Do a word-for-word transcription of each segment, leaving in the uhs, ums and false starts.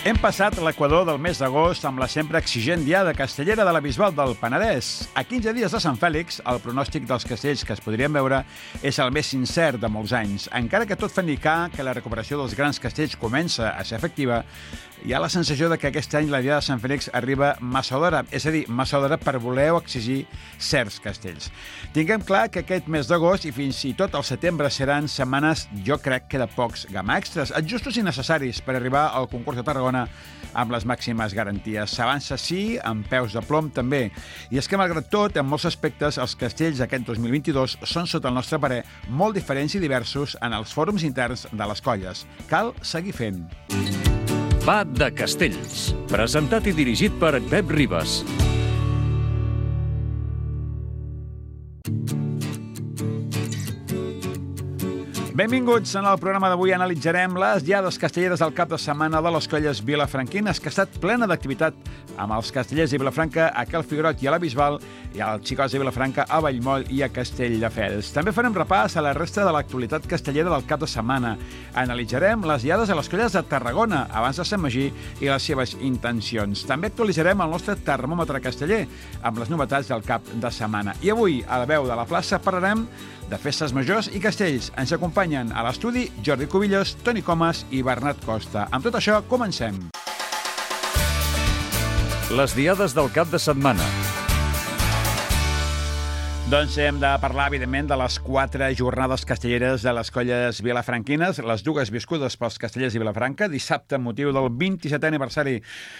Hem passat l'equador del mes d'agost amb la sempre exigent diada castellera de la Bisbal del Penedès. A quinze dies de Sant Fèlix, el pronòstic dels castells que es podrien veure és el més sincer de molts anys. Encara que tot fa indicar que la recuperació dels grans castells comença a ser efectiva, hi ha la sensació de que aquest any la diada de Sant Fèlix arriba massa d'hora, és a dir, massa d'hora per voler o exigir certs castells. Tinguem clar que aquest mes d'agost i fins i tot el setembre seran setmanes, jo crec que de pocs gamma extras, justos i necessaris per arribar al concurs de Tarragona amb les màximes garanties. S'avança, sí, amb peus de plom també. I és que, malgrat tot, en molts aspectes, els castells aquest dos mil vint-i-dos són, sota el nostre parer, molt diferents i diversos en els fòrums interns de les colles. Cal seguir fent. Va de Castells, presentat i dirigit per Pep Ribas. Benvinguts. En el programa d'avui analitzarem les diades castelleres del cap de setmana de les colles vilafranquines, que ha estat plena d'activitat amb els castellers de Vilafranca a Cal Figuerot i a la Bisbal i als xicots de Vilafranca a Vallmoll i a Castelldefels. També farem repàs a la resta de l'actualitat castellera del cap de setmana. Analitzarem les diades a les colles de Tarragona abans de Sant Magí i les seves intencions. També actualitzarem el nostre termòmetre casteller amb les novetats del cap de setmana. I avui, a la veu de la plaça, parlarem de festes majors i castells. Ens acompanyen a l'estudi Jordi Cubillos, Toni Comas i Bernat Costa. Amb tot això, comencem. Les diades del cap de setmana. Doncs hem de parlar, evidentment, de les quatre jornades castelleres de les colles vilafranquines, les dues viscudes pels castellers de Vilafranca, dissabte, amb motiu del vint-i-setè aniversari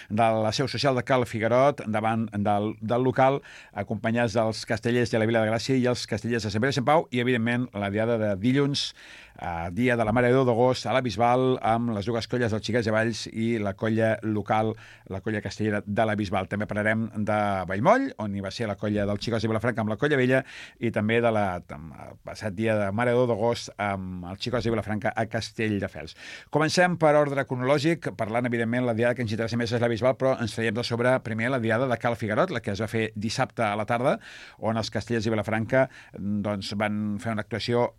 de la seu social de Cal Figuerot, davant del, del local, acompanyats dels castellers de la Vila de Gràcia i els castellers de Sant Pere i Sant Pau, i, evidentment, la diada de dilluns, eh, dia de la Mare de Déu d'agost, a la Bisbal, amb les dues colles dels Xiquets de Valls i la colla local, la colla castellera de la Bisbal. També parlarem de Vallmoll, on hi va ser la colla dels Xicots de Vilafranca amb la colla vella, i també de la el passat dia de Mare de Déu d'agost amb els xicots de Vilafranca a Castelldefels. Comencem per ordre cronològic, parlant, evidentment, la diada que ens interessa més és la Bisbal, però ens traiem de sobre primer la diada de Cal Figuerot, la que es va fer dissabte a la tarda, on els castellers de Vilafranca doncs, van fer una actuació,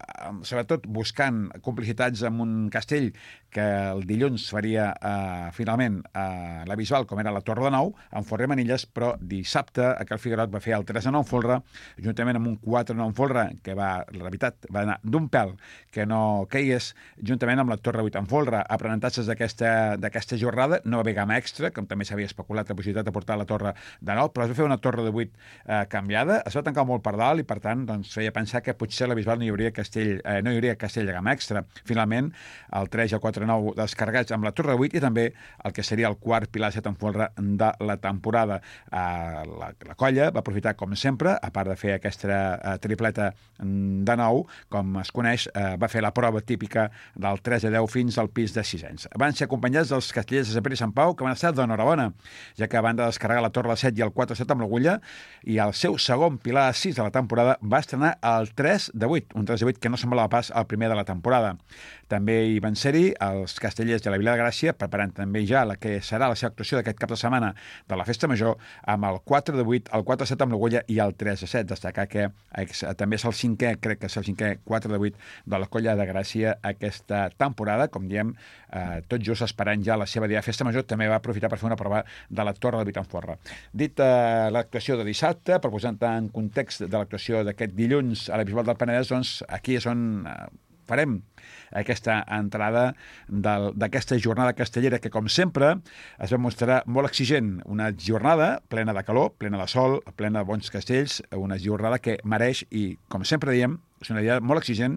sobretot buscant complicitats amb un castell que el dilluns faria eh, finalment a la Bisbal, com era la Torre de Nou, amb Folre Manilles, però dissabte a Cal Figuerot va fer el tres de nou en folre, juntament amb un quatre de nou en folre, que va, la veritat, va anar d'un pèl que no caigués, juntament amb la Torre vuit en folre. Aprenentatges d'aquesta jornada, no va haver gamma extra, com també s'havia especulat la possibilitat de portar la Torre de Nou, però es va fer una Torre de vuit eh, canviada, es va tancar molt per dalt i, per tant, doncs, feia pensar que potser a la Bisbal no hi hauria castell, eh, no hi hauria castell de gamma extra. Finalment, el tres i el quatre de nou descarregats amb la Torre vuit i també el que seria el quart pilar set en folre de la temporada. Eh, la, la colla va aprofitar, com sempre, a part de fer aquesta eh, tripleta de nou, com es coneix, eh, va fer la prova típica del tres a deu fins al pis de sisens. Van ser acompanyats dels castellers de Sant Pere i Sant Pau, que van estar d'enhorabona, ja que van de descarregar la Torre set i el quatre set amb l'agulla, i el seu segon pilar sis de la temporada va estrenar el tres de vuit, un tres de vuit que no semblava pas el primer de la temporada. També hi van ser-hi els castellers de la Vila de Gràcia, preparant també ja la que serà la seva actuació d'aquest cap de setmana de la Festa Major, amb el quatre de vuit, el quatre set amb l'agulla i el tres a set. Destacar que també és el cinquè, crec que és el cinquè quatre de vuit de la colla de Gràcia aquesta temporada, com diem, eh, tot just esperant ja la seva dia de Festa Major, també va aprofitar per fer una prova de la Torre de vuit en folre. Dit eh, l'actuació de dissabte, per posar en context de l'actuació d'aquest dilluns a la Bisbal del Penedès, doncs aquí és on eh, farem aquesta entrada d'aquesta jornada castellera que, com sempre, es va mostrar molt exigent. Una jornada plena de calor, plena de sol, plena de bons castells, una jornada que mereix, i, com sempre diem, és una idea molt exigent,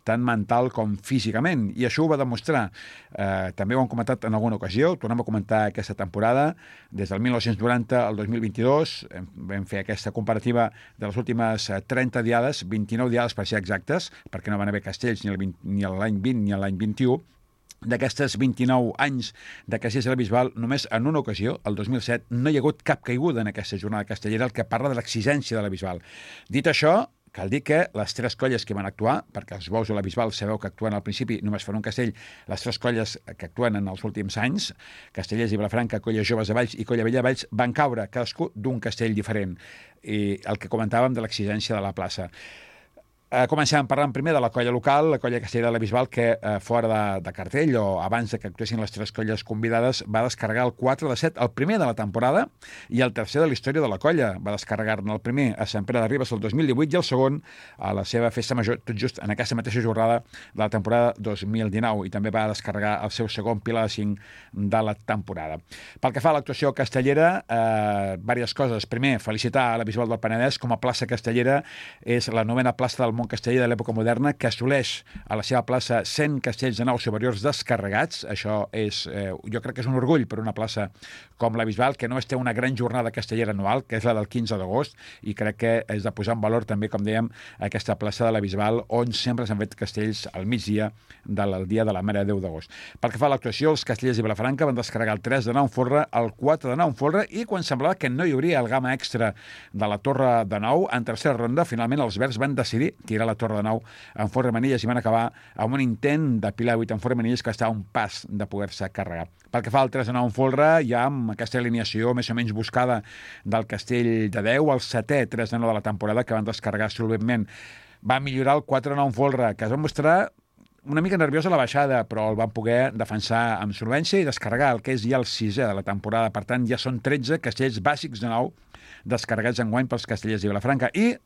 tant mental com físicament, i això ho va demostrar. Eh, també ho hem comentat en alguna ocasió, tornem a comentar aquesta temporada, des del mil nou-cents noranta al dos mil vint-i-dos, vam fer aquesta comparativa de les últimes trenta diades, vint-i-nou diades per ser exactes, perquè no van haver castells ni, el vint, ni l'any vint ni l'any vint-i-u. D'aquestes vint-i-nou anys de castells de la Bisbal, només en una ocasió, el dos mil set, no hi ha hagut cap caiguda en aquesta jornada castellera, el que parla de l'exigència de la Bisbal. Dit això, cal dir que les tres colles que van actuar, perquè els bous de la Bisbal sabeu que actuen al principi només fan un castell, les tres colles que actuen en els últims anys, Castellers i Vilafranca, Colla Joves de Valls i Colla Vella de Valls, van caure cadascú d'un castell diferent. I el que comentàvem de l'exigència de la plaça. Eh, comencem parlant primer de la colla local, la colla castellera de la Bisbal, que eh, fora de, de cartell, o abans de que actuessin les tres colles convidades, va descarregar el quatre de set, el primer de la temporada, i el tercer de la història de la colla. Va descarregar-ne el primer a Sant Pere de Ribes el dos mil divuit i el segon a la seva festa major, tot just en aquesta mateixa jornada de la temporada dos mil dinou, i també va descarregar el seu segon pilar de cinc de la temporada. Pel que fa a l'actuació castellera, eh, diverses coses. Primer, felicitar a la Bisbal del Penedès com a plaça castellera. És la novena plaça del món casteller de l'època moderna, que assoleix a la seva plaça cent castells de naus superiors descarregats. Això és, eh, jo crec que és un orgull per una plaça com la Bisbal, que només té una gran jornada castellera anual, que és la del quinze d'agost, i crec que és de posar en valor també, com dèiem, aquesta plaça de la Bisbal, on sempre s'han fet castells al migdia del dia de la Mare de Déu d'agost. Pel que fa a l'actuació, els castellers de Vilafranca van descarregar el tres de nou en folre, el quatre de nou en folre, i quan semblava que no hi hauria el gamma extra de la Torre de Nou, en tercera ronda, finalment els verds van decidir tirar la Torre de Nou en folre manilles i van acabar amb un intent de pilar vuit en folre manilles que estava a un pas de poder-se carregar. Pel que fa al tres de nou en folre, ja amb aquesta alineació més o menys buscada del Castell de Déu, el setè tres de nou de la temporada, que van descarregar solventment. Va millorar el quatre de nou en folre, que es va mostrar una mica nerviós a la baixada, però el van poder defensar amb solvència i descarregar el que és ja el sisè de la temporada. Per tant, ja són tretze castells bàsics de nou descarregats enguany pels castellers de Vilafranca. I,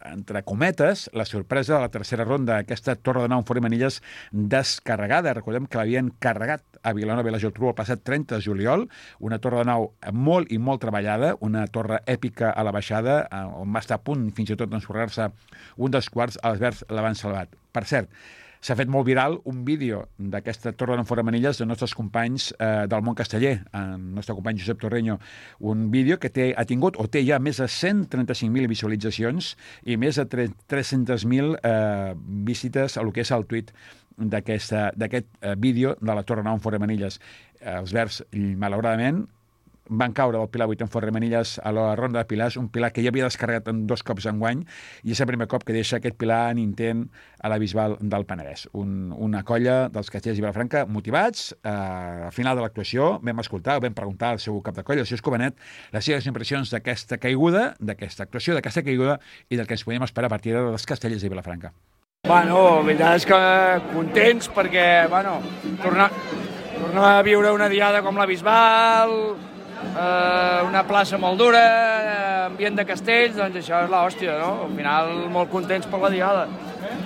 entre cometes, la sorpresa de la tercera ronda, aquesta Torre de Nou en folre manilles descarregada. Recordem que l'havien carregat a Vilanova i la Geltrú el passat trenta de juliol, una Torre de Nou molt i molt treballada, una torre èpica a la baixada, on va estar a punt fins i tot d'ensorrar-se un dels quarts, els verds l'han salvat. Per cert, s'ha fet molt viral un vídeo d'aquesta Torre de Nou en folre manilles de nostres companys eh, del món casteller, el nostre company Josep Torreño, un vídeo que té, ha tingut o té ja més de cent trenta-cinc mil visualitzacions i més de tres-centes mil eh, visites a lo que és el tuit d'aquest eh, vídeo de la Torre de Nou en folre manilles. Els verds, malauradament, van caure del pilar vuit en folre manilles a la ronda de pilars, un pilar que ja havia descarregat en dos cops enguany, i és el primer cop que deixa aquest pilar en intent a la Bisbal del Penedès. Un, una colla dels castellers de Vilafranca motivats. Eh, al final de l'actuació vam escoltar, vam preguntar al seu cap de colla, el seu Escobenet, les seves impressions d'aquesta caiguda, d'aquesta actuació, d'aquesta caiguda i del que ens podíem esperar a partir dels castellers de Vilafranca. Bueno, la veritat és que contents perquè, bueno, tornar, tornar a viure una diada com la Bisbal, Uh, una plaça molt dura, ambient de castells, doncs això és l'hòstia, no? Al final molt contents per la diada.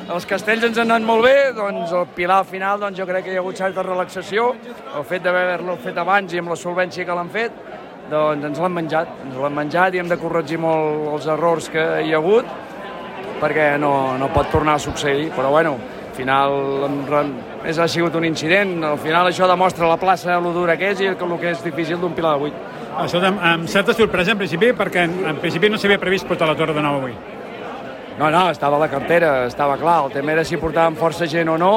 Els castells ens han anat molt bé, doncs el pilar al final doncs jo crec que hi ha hagut certa relaxació, el fet d'haver-lo fet abans i amb la solvència que l'han fet, doncs ens l'han menjat, ens l'han menjat i hem de corregir molt els errors que hi ha hagut, perquè no, no pot tornar a succeir, però bueno, al final és, ha sigut un incident, al final això demostra la plaça el dura que és i el que és difícil d'un pilar de vuit. Escolta, amb certa sorpresa en principi, perquè en, en principi no s'havia previst portar la Torre de Nou avui. No, no, estava a la cartera, estava clar, el tema era si portàvem força gent o no,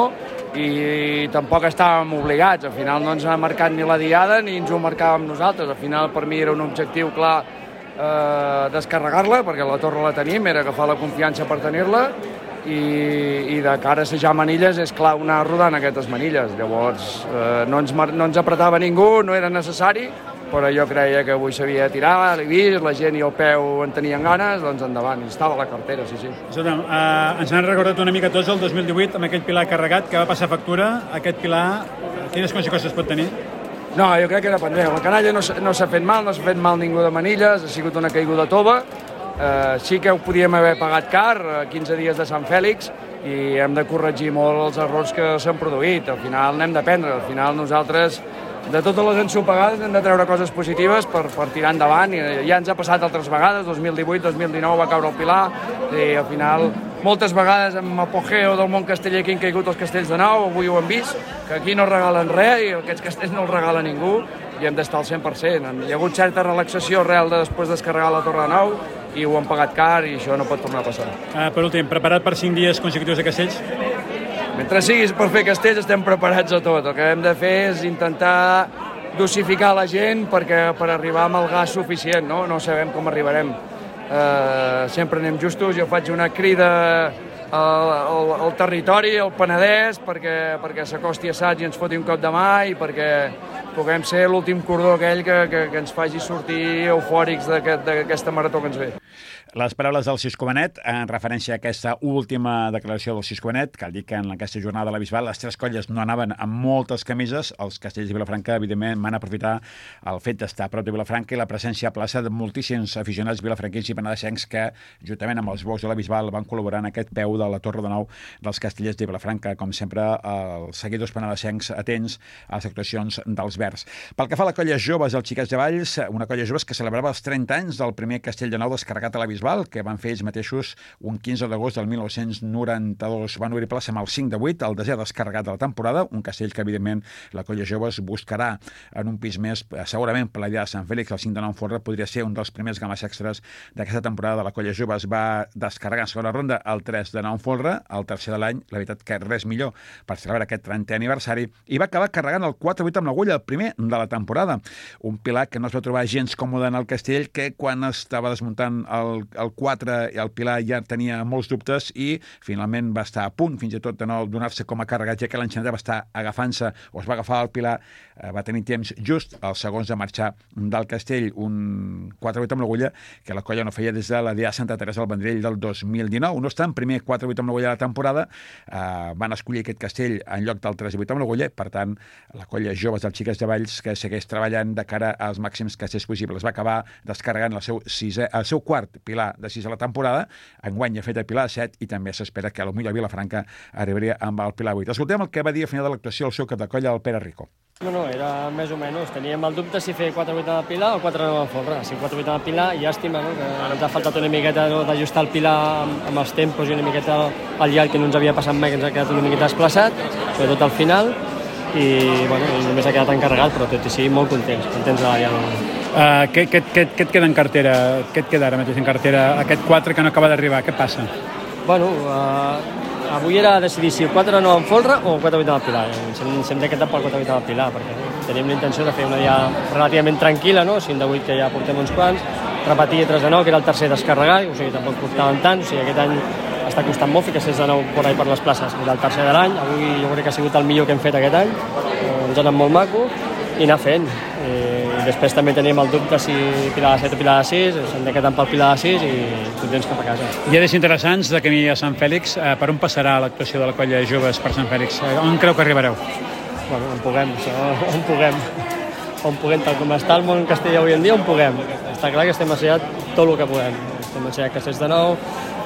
i tampoc estàvem obligats, al final no ens ha marcat ni la diada ni ens ho marcàvem nosaltres, al final per mi era un objectiu clar eh, descarregar-la, perquè la torre la tenim, era agafar la confiança per tenir-la, i, i de cara a assajar manilles és clar anar rodant aquestes manilles. Llavors eh, no, ens, no ens apretava ningú, no era necessari, però jo creia que avui s'havia de tirar, l'he vist, la gent i el peu en tenien ganes, doncs endavant, i estava a la cartera, sí, sí. Escolta, eh, ens han recordat una mica tots el dos mil divuit amb aquest pilar carregat que va passar factura. Aquest pilar, quines conseqüències pot tenir? No, jo crec que dependrà. La canalla no, no s'ha fet mal, no s'ha fet mal ningú de manilles, ha sigut una caiguda tova. Eh, sí que ho podíem haver pagat car, quinze dies de Sant Fèlix, i hem de corregir molt els errors que s'han produït. Al final n'hem d'aprendre, al final nosaltres de totes les ensopegades hem de treure coses positives per, per tirar endavant, i ja ens ha passat altres vegades, dos mil divuit dos mil dinou va caure el pilar, i al final moltes vegades amb apogeo del món casteller que han caigut els castells de nou, avui ho hem vist, que aquí no regalen res i aquests castells no els regala ningú, i hem d'estar al cent per cent. Hi ha hagut certa relaxació real de després descarregar la Torre de Nou i ho han pagat car i això no pot tornar a passar. Uh, per últim, preparat per cinc dies consecutius de castells? Mentre siguis per fer castells estem preparats a tot. El que hem de fer és intentar dosificar la gent perquè per arribar amb el gas suficient, no? No sabem com arribarem. Uh, sempre anem justos, jo faig una crida al, al, al territori, al Penedès, perquè, perquè s'acosti assaig i ens foti un cop de mà i perquè puguem ser l'últim cordó aquell que, que, que ens faci sortir eufòrics d'aquesta marató que ens ve. Les paraules del Xisco Benet en referència a aquesta última declaració del Xisco Benet, cal dir que en aquesta jornada de la Bisbal les tres colles no anaven amb moltes camises. Els castells de Vilafranca, evidentment, van aprofitar el fet d'estar a prop de Vilafranca i la presència a plaça de moltíssims aficionats vilafranquins i penedesencs que, juntament amb els bocs de la Bisbal, van col·laborar en aquest peu de la Torre de Nou dels castellers de Vilafranca. Com sempre, els seguidors penedesencs atents a les actuacions dels verds. Pel que fa a la colla joves, els Xiquets de Valls, una colla joves que celebrava els trenta anys del primer castell de Nou descarregat a la Bisbal, que van fer ells mateixos un quinze d'agost del mil nou-cents noranta-dos. Van obrir plaça amb el cinc de vuit, el desè descarregat de la temporada, un castell que, evidentment, la colla joves buscarà en un pis més, segurament per la idea de Sant Fèlix. El cinc de Nou en folre podria ser un dels primers games extras d'aquesta temporada de la colla joves. Va descarregar en segona ronda el tres de Nou en folre, el tercer de l'any, la veritat que res millor per celebrar aquest trentè aniversari, i va acabar carregant el quatre vuit amb l'agulla, el primer de la temporada. Un pilar que no es va trobar gens còmode en el castell, que quan estava desmuntant el el quatre i el Pilar ja tenia molts dubtes i finalment va estar a punt fins i tot de no donar-se com a carregat, ja que l'enxaneta va estar agafant-se o es va agafar el Pilar, eh, va tenir temps just els segons de marxar del castell. Un quatre vuit amb l'agulla que la colla no feia des de la dia Santa Teresa del Vendrell del dos mil dinou. No obstant, primer quatre vuit amb l'agulla de la temporada, eh, van escollir aquest castell en lloc del tres vuit amb l'agulla. Per tant, la colla joves dels Xiquets de Valls, que segueix treballant de cara als màxims castells possibles, va acabar descarregant el seu, sisè, el seu quart Pilar de sis a la temporada. Enguany ha fet el Pilar set i també s'espera que potser a Vilafranca arribaria amb el Pilar vuit. Escoltem el que va dir al final de l'actuació el seu cap de colla, el Pere Rico. No, no, era més o menys. Teníem el dubte si fer quatre vuit amb el Pilar o quatre nou amb folre. Si quatre vuit amb el Pilar, llàstima, no? Que ens ha faltat una miqueta, no, d'ajustar el Pilar amb, amb els tempos i una miqueta al llarg, que no ens havia passat mai, que ens ha quedat una miqueta desplaçat, sobretot al final, i, bueno, i només ha quedat encarregat, però tot i sí, molt contents, contents de la diada. Uh, què, què, què, què et queda en cartera? Què et queda ara mateix en cartera? Aquest quatre que no acaba d'arribar, què passa? Bueno, uh, avui era decidir si el quatre nou amb folre o el quatre vuit amb el Pilar. Ens hem, ens hem decantat pel quatre vuit amb el Pilar, perquè teníem la intenció de fer una dia relativament tranquil·la, no? cinc de vuit que ja portem uns quants, repetir tres de nou, que era el tercer descarregar, o sigui, tampoc portaven tant, o sigui, aquest any està costant molt ficar sis de nou per ahí per les places. Era el tercer de l'any, avui jo crec que ha sigut el millor que hem fet aquest any, ens ha anat molt maco, i anar fent. I després també teníem el dubte si Pilar de set o Pilar de sis, ens hem decantat pel Pilar de sis i contents cap a casa. Hi ha des interessants de camí a Sant Fèlix. Eh, per on passarà l'actuació de la colla de joves per Sant Fèlix? Eh, on creu que arribareu? Bueno, on puguem, on puguem. On puguem, tal com està el món castellà avui en dia, on puguem. Està clar que estem assajat tot el que podem. Estem assajant castells de nou,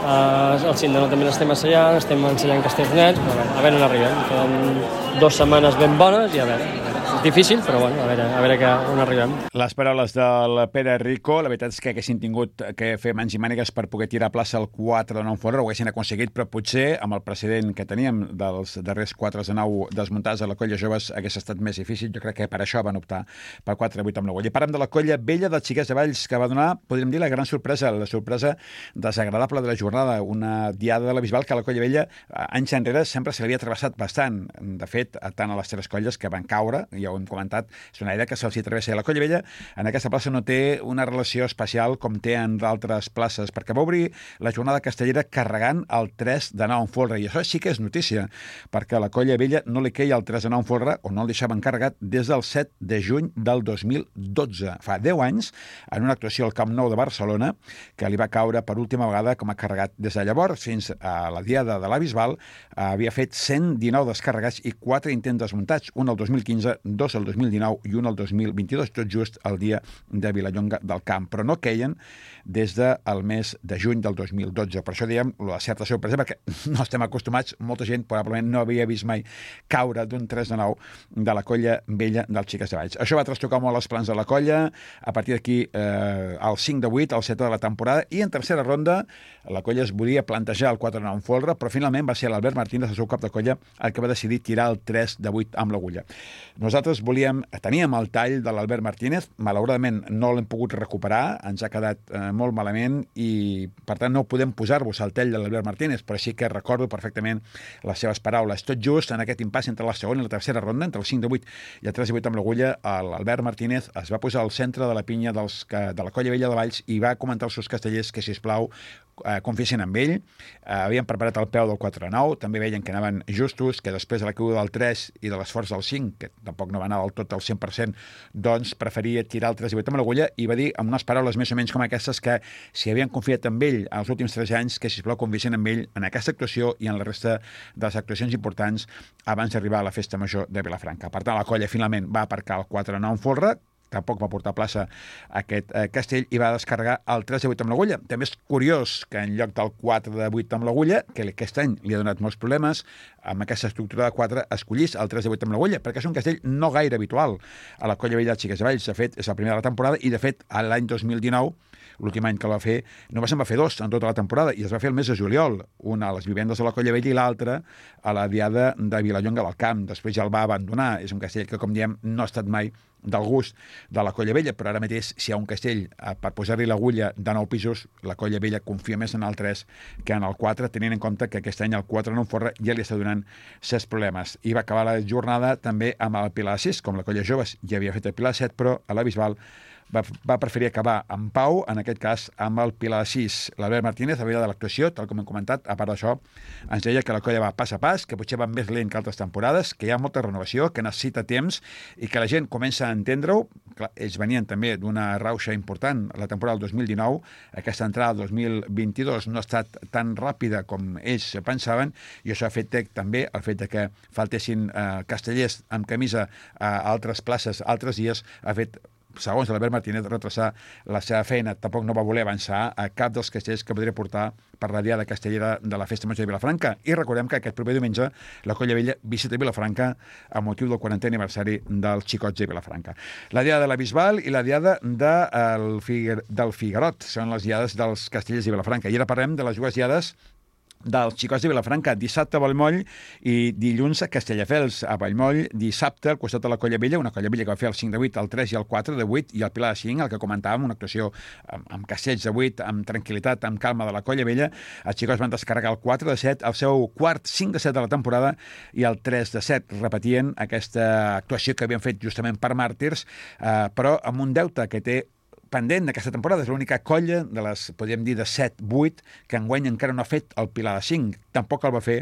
eh, el cinc de nou també l'estem assajant, estem ensenyant castells nets, però a veure on arribem. Queden dues setmanes ben bones i a veure. És difícil, però bueno, a veure, a veure que, on arribem. Les paraules del Pere Rico, la veritat és que haguessin tingut que fer mans i mànigues per poder tirar a plaça el quatre de nou en folre, ho haguessin aconseguit, però potser amb el precedent que teníem dels darrers quatre de nou desmuntats a la colla joves hagués estat més difícil. Jo crec que per això van optar per quatre vuit amb l'agulla. I parlem de la colla vella dels Xiquets de Valls, que va donar, podríem dir, la gran sorpresa, la sorpresa desagradable de la jornada, una diada de la Bisbal que a la colla vella anys enrere sempre se l'havia travessat bastant. De fet, tant a les tres colles que van caure, ja ho hem comentat, és una idea que se'ls hi travessa. La colla vella en aquesta plaça no té una relació especial com té en d'altres places, perquè va obrir la jornada castellera carregant el tres de nou en folre, i això sí que és notícia, perquè a la colla vella no li queia el tres de nou en folre, o no el deixaven carregat, des del set de juny del dos mil dotze. Fa deu anys, en una actuació al Camp Nou de Barcelona, que li va caure per última vegada com a carregat. Des de llavors fins a la diada de la Bisbal, havia fet cent dinou descarregats i quatre intents desmuntats, un el dos mil quinze, dos el dos mil dinou i un el dos mil vint-i-dos, tot just el dia de Vilallonga del Camp, però no queien des del mes de juny del dos mil dotze. Per això diem la certa sorpresa, perquè no estem acostumats, molta gent probablement no havia vist mai caure d'un tres de nou de la colla vella dels Xiquets de Valls. Això va trastocar molt els plans de la colla, a partir d'aquí eh, el cinc de vuit, el set de la temporada, i en tercera ronda la colla es volia plantejar el quatre de nou en folre, però finalment va ser l'Albert Martínez, el seu cap de colla, el que va decidir tirar el tres de vuit amb l'agulla. Nosaltres volíem, teníem el tall de l'Albert Martínez, malauradament no l'hem pogut recuperar, ens ha quedat eh, molt malament i per tant no podem posar-vos el tall de l'Albert Martínez, però sí que recordo perfectament les seves paraules. Tot just en aquest impàs entre la segona i la tercera ronda, entre el cinc de vuit i el tres de vuit amb l'agulla, l'Albert Martínez es va posar al centre de la pinya dels, de la colla vella de Valls i va comentar als seus castellers que, sisplau, eh, confiessin amb ell. Eh, havien preparat el peu del quatre de nou, també veien que anaven justos, que després de la caiguda del tres i de l'esforç del cinc, que tampoc tampoc no va anar del tot al cent per cent, doncs preferia tirar el tres divuit amb l'agulla i va dir amb unes paraules més o menys com aquestes que si havien confiat en ell els últims tres anys, que sisplau confiessin en ell en aquesta actuació i en la resta de les actuacions importants abans d'arribar a la festa major de Vilafranca. Per tant, la colla finalment va aparcar el quatre nou en folre, tampoc va portar a plaça aquest eh, castell i va descarregar el tres de vuit amb l'agulla. També és curiós que en lloc del quatre de vuit amb l'agulla, que aquest any li ha donat molts problemes, amb aquesta estructura de quatre escollís el tres de vuit amb l'agulla, perquè és un castell no gaire habitual a la colla vella de Xiques de Valls. De fet, és la primera de la temporada i, de fet, l'any dos mil dinou, l'últim any que el va fer, només en va fer dos en tota la temporada i es va fer el mes de juliol, una a les vivendes de la Colla Vella i l'altra a la diada de Vilallonga del Camp. Després ja el va abandonar. És un castell que, com diem, no ha estat mai del gust de la Colla Vella, però ara mateix, si hi ha un castell eh, per posar-li l'agulla de nou pisos, la Colla Vella confia més en el tres que en el quatre, tenint en compte que aquest any el quatre no en forra ja li està donant certs problemes. I va acabar la jornada també amb el Pilar sis, com la Colla Joves ja havia fet el Pilar set, però a la Bisbal va, va preferir acabar en pau, en aquest cas amb el Pilar sis. L'Albert Martínez, a veure de l'actuació, tal com hem comentat, a part d'això, ens deia que la colla va pas a pas, que potser va més lent que altres temporades, que hi ha molta renovació, que necessita temps i que la gent comença a entendre-ho. Clar, ells venien també d'una rauxa important la temporada del dos mil dinou, aquesta entrada del dos mil vint-i-dos no ha estat tan ràpida com ells pensaven i això ha fet també el fet de que faltessin eh, castellers amb camisa a altres places, altres dies, ha fet, segons l'Albert Martínez, retrasar la seva feina. Tampoc no va voler avançar a cap dels castells que podria portar per la diada castellera de la Festa Major de Vilafranca. I recordem que aquest proper diumenge la Colla Vella visita Vilafranca a motiu del quarantè aniversari dels Xicots de Vilafranca. La diada de la Bisbal i la diada de, el Figar, del Figarot són les diades dels castellers de Vilafranca. I ara parlem de les dues diades dels Xicots de Vilafranca, dissabte a Vallmoll i dilluns a Castelldefels. A Vallmoll, dissabte, al costat de la Colla Vella, una Colla Vella que va fer el cinc de vuit, el tres i el quatre de vuit, i el Pilar de cinc, el que comentàvem, una actuació amb, amb castells de vuit, amb tranquil·litat, amb calma de la Colla Vella. Els Xicots van descarregar el quatre de set, el seu quart cinc de set de la temporada, i el tres de set repetien aquesta actuació que havien fet justament per Màrtirs, eh, però amb un deute que té pendent d'aquesta temporada. És l'única colla de les, podríem dir, de set vuit que enguany encara no ha fet el Pilar de cinc. Tampoc el va fer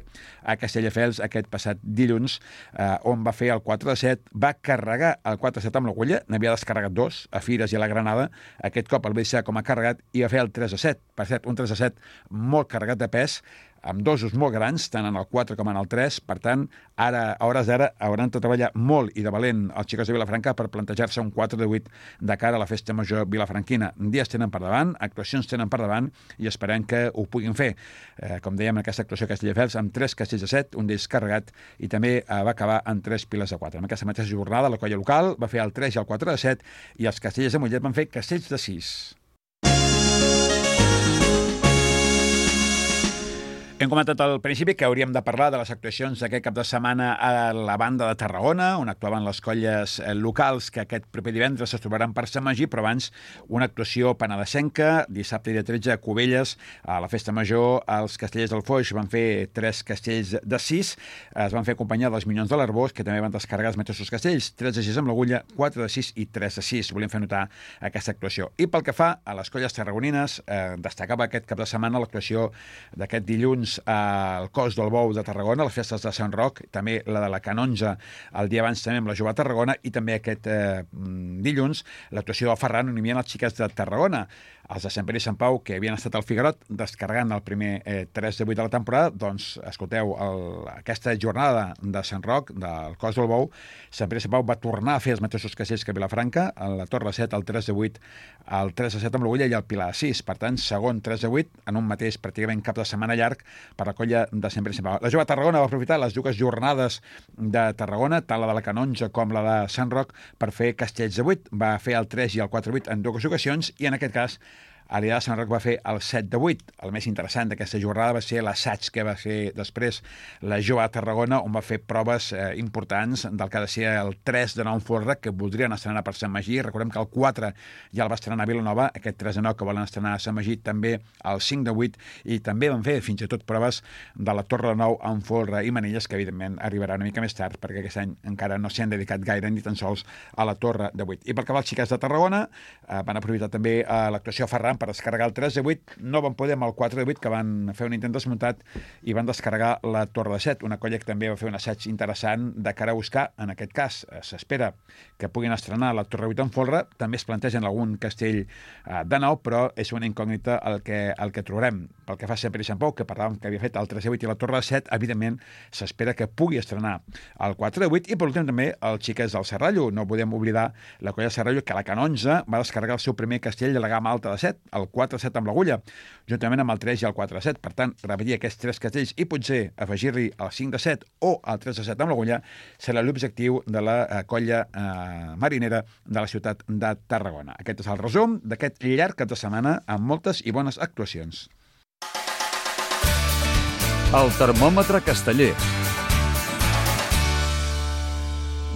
a Castelldefels aquest passat dilluns, eh, on va fer el quatre de set, va carregar el quatre de set amb l'agulla, n'havia descarregat dos, a Fires i a la Granada, aquest cop el va deixar com a carregat i va fer el tres de set. Per cert, un tres de set molt carregat de pes, amb dosos molt grans, tant en el quatre com en el tres. Per tant, ara, a hores d'ara, hauran de treballar molt i de valent els Xicots de Vilafranca per plantejar-se un quatre de vuit de cara a la Festa Major vilafranquina. Dies tenen per davant, actuacions tenen per davant i esperem que ho puguin fer. Eh, com dèiem, aquesta actuació a Castelldefels, amb tres castells de set, un d'ells carregat, i també eh, va acabar amb tres piles de quatre. En aquesta mateixa jornada, la colla local va fer el tres i el quatre de set, i els castellers de Mollet van fer castells de sis. Hem comentat al principi que hauríem de parlar de les actuacions d'aquest cap de setmana a la banda de Tarragona, on actuaven les colles locals que aquest proper divendres es trobaran per Sant Magí, però abans una actuació penedesenca, dissabte i dia tretze a Cubelles, a la Festa Major. Els castellers del Foix van fer tres castells de sis, es van fer acompanyar dels Minyons de l'Arbós, que també van descarregar els mateixos castells, tres de sis amb l'agulla, quatre de sis i tres de sis. Volem fer notar aquesta actuació. I pel que fa a les colles tarragonines, eh, destacava aquest cap de setmana l'actuació d'aquest dilluns al Cos del Bou de Tarragona, les festes de Sant Roc, també la de la Canonja el dia abans també amb la Jove de Tarragona, i també aquest eh, dilluns l'actuació del Ferran, on hi havia els Xiquets de Tarragona. Els de Sant Pere i Sant Pau, que havien estat al Figarot descarregant el primer eh, tres de vuit de la temporada, doncs escolteu, el, aquesta jornada de Sant Roc, del Cos del Bou, Sant Pere i Sant Pau va tornar a fer els mateixos castells que Vilafranca, a la Torre set, el tres de vuit, el tres de set amb l'agulla i el Pilar sis. Per tant, segon tres de vuit en un mateix pràcticament cap de setmana llarg per la colla de Sant Pere i Sant Pau. La Jove de Tarragona va aprofitar les dues jornades de Tarragona, tant la de la Canonja com la de Sant Roc, per fer castells de vuit. Va fer el tres i el quatre de vuit en dues ocasions, i en aquest cas Aliada de Sant Roc va fer el set de vuit. El més interessant d'aquesta jornada va ser l'assaig que va fer després la Jove de Tarragona, on va fer proves eh, importants del que ha de ser el tres de nou en folre, que voldrien estrenar per Sant Magí. Recordem que el quatre ja el va estrenar a Vilanova, aquest tres de nou que volen estrenar a Sant Magí, també el cinc de vuit, i també van fer fins i tot proves de la Torre de Nou en folre i manilles, que evidentment arribarà una mica més tard, perquè aquest any encara no s'hi han dedicat gaire ni tan sols a la Torre de vuit. I pel que va als Xiquets de Tarragona, eh, van aprofitar també eh, l'actuació a Ferran per descarregar el tres de vuit, no van poder amb el quatre de vuit, que van fer un intent desmuntat i van descarregar la Torre de set, una colla que també va fer un assaig interessant de cara a buscar, en aquest cas, s'espera que puguin estrenar la Torre de vuit en folre, també es plantegen algun castell eh, de nou, però és una incògnita el que, el que trobarem. Pel que fa a Sant Pere i Sant Pau, que parlàvem que havia fet el tres de vuit i la Torre de set, evidentment s'espera que pugui estrenar el quatre de vuit, i per últim també el Xiquets del Serrallo. No podem oblidar la colla de Serrallo, que a la Canonja va descarregar el seu primer castell de la gamma alta de set, el quatre de set amb l'agulla, juntament amb el tres i el quatre de set. Per tant, repetir aquests tres castells i potser afegir-hi el cinc de set o el tres de set amb l'agulla serà l'objectiu de la eh, colla eh, marinera de la ciutat de Tarragona. Aquest és el resum d'aquest llarg cap de setmana amb moltes i bones actuacions. El termòmetre casteller.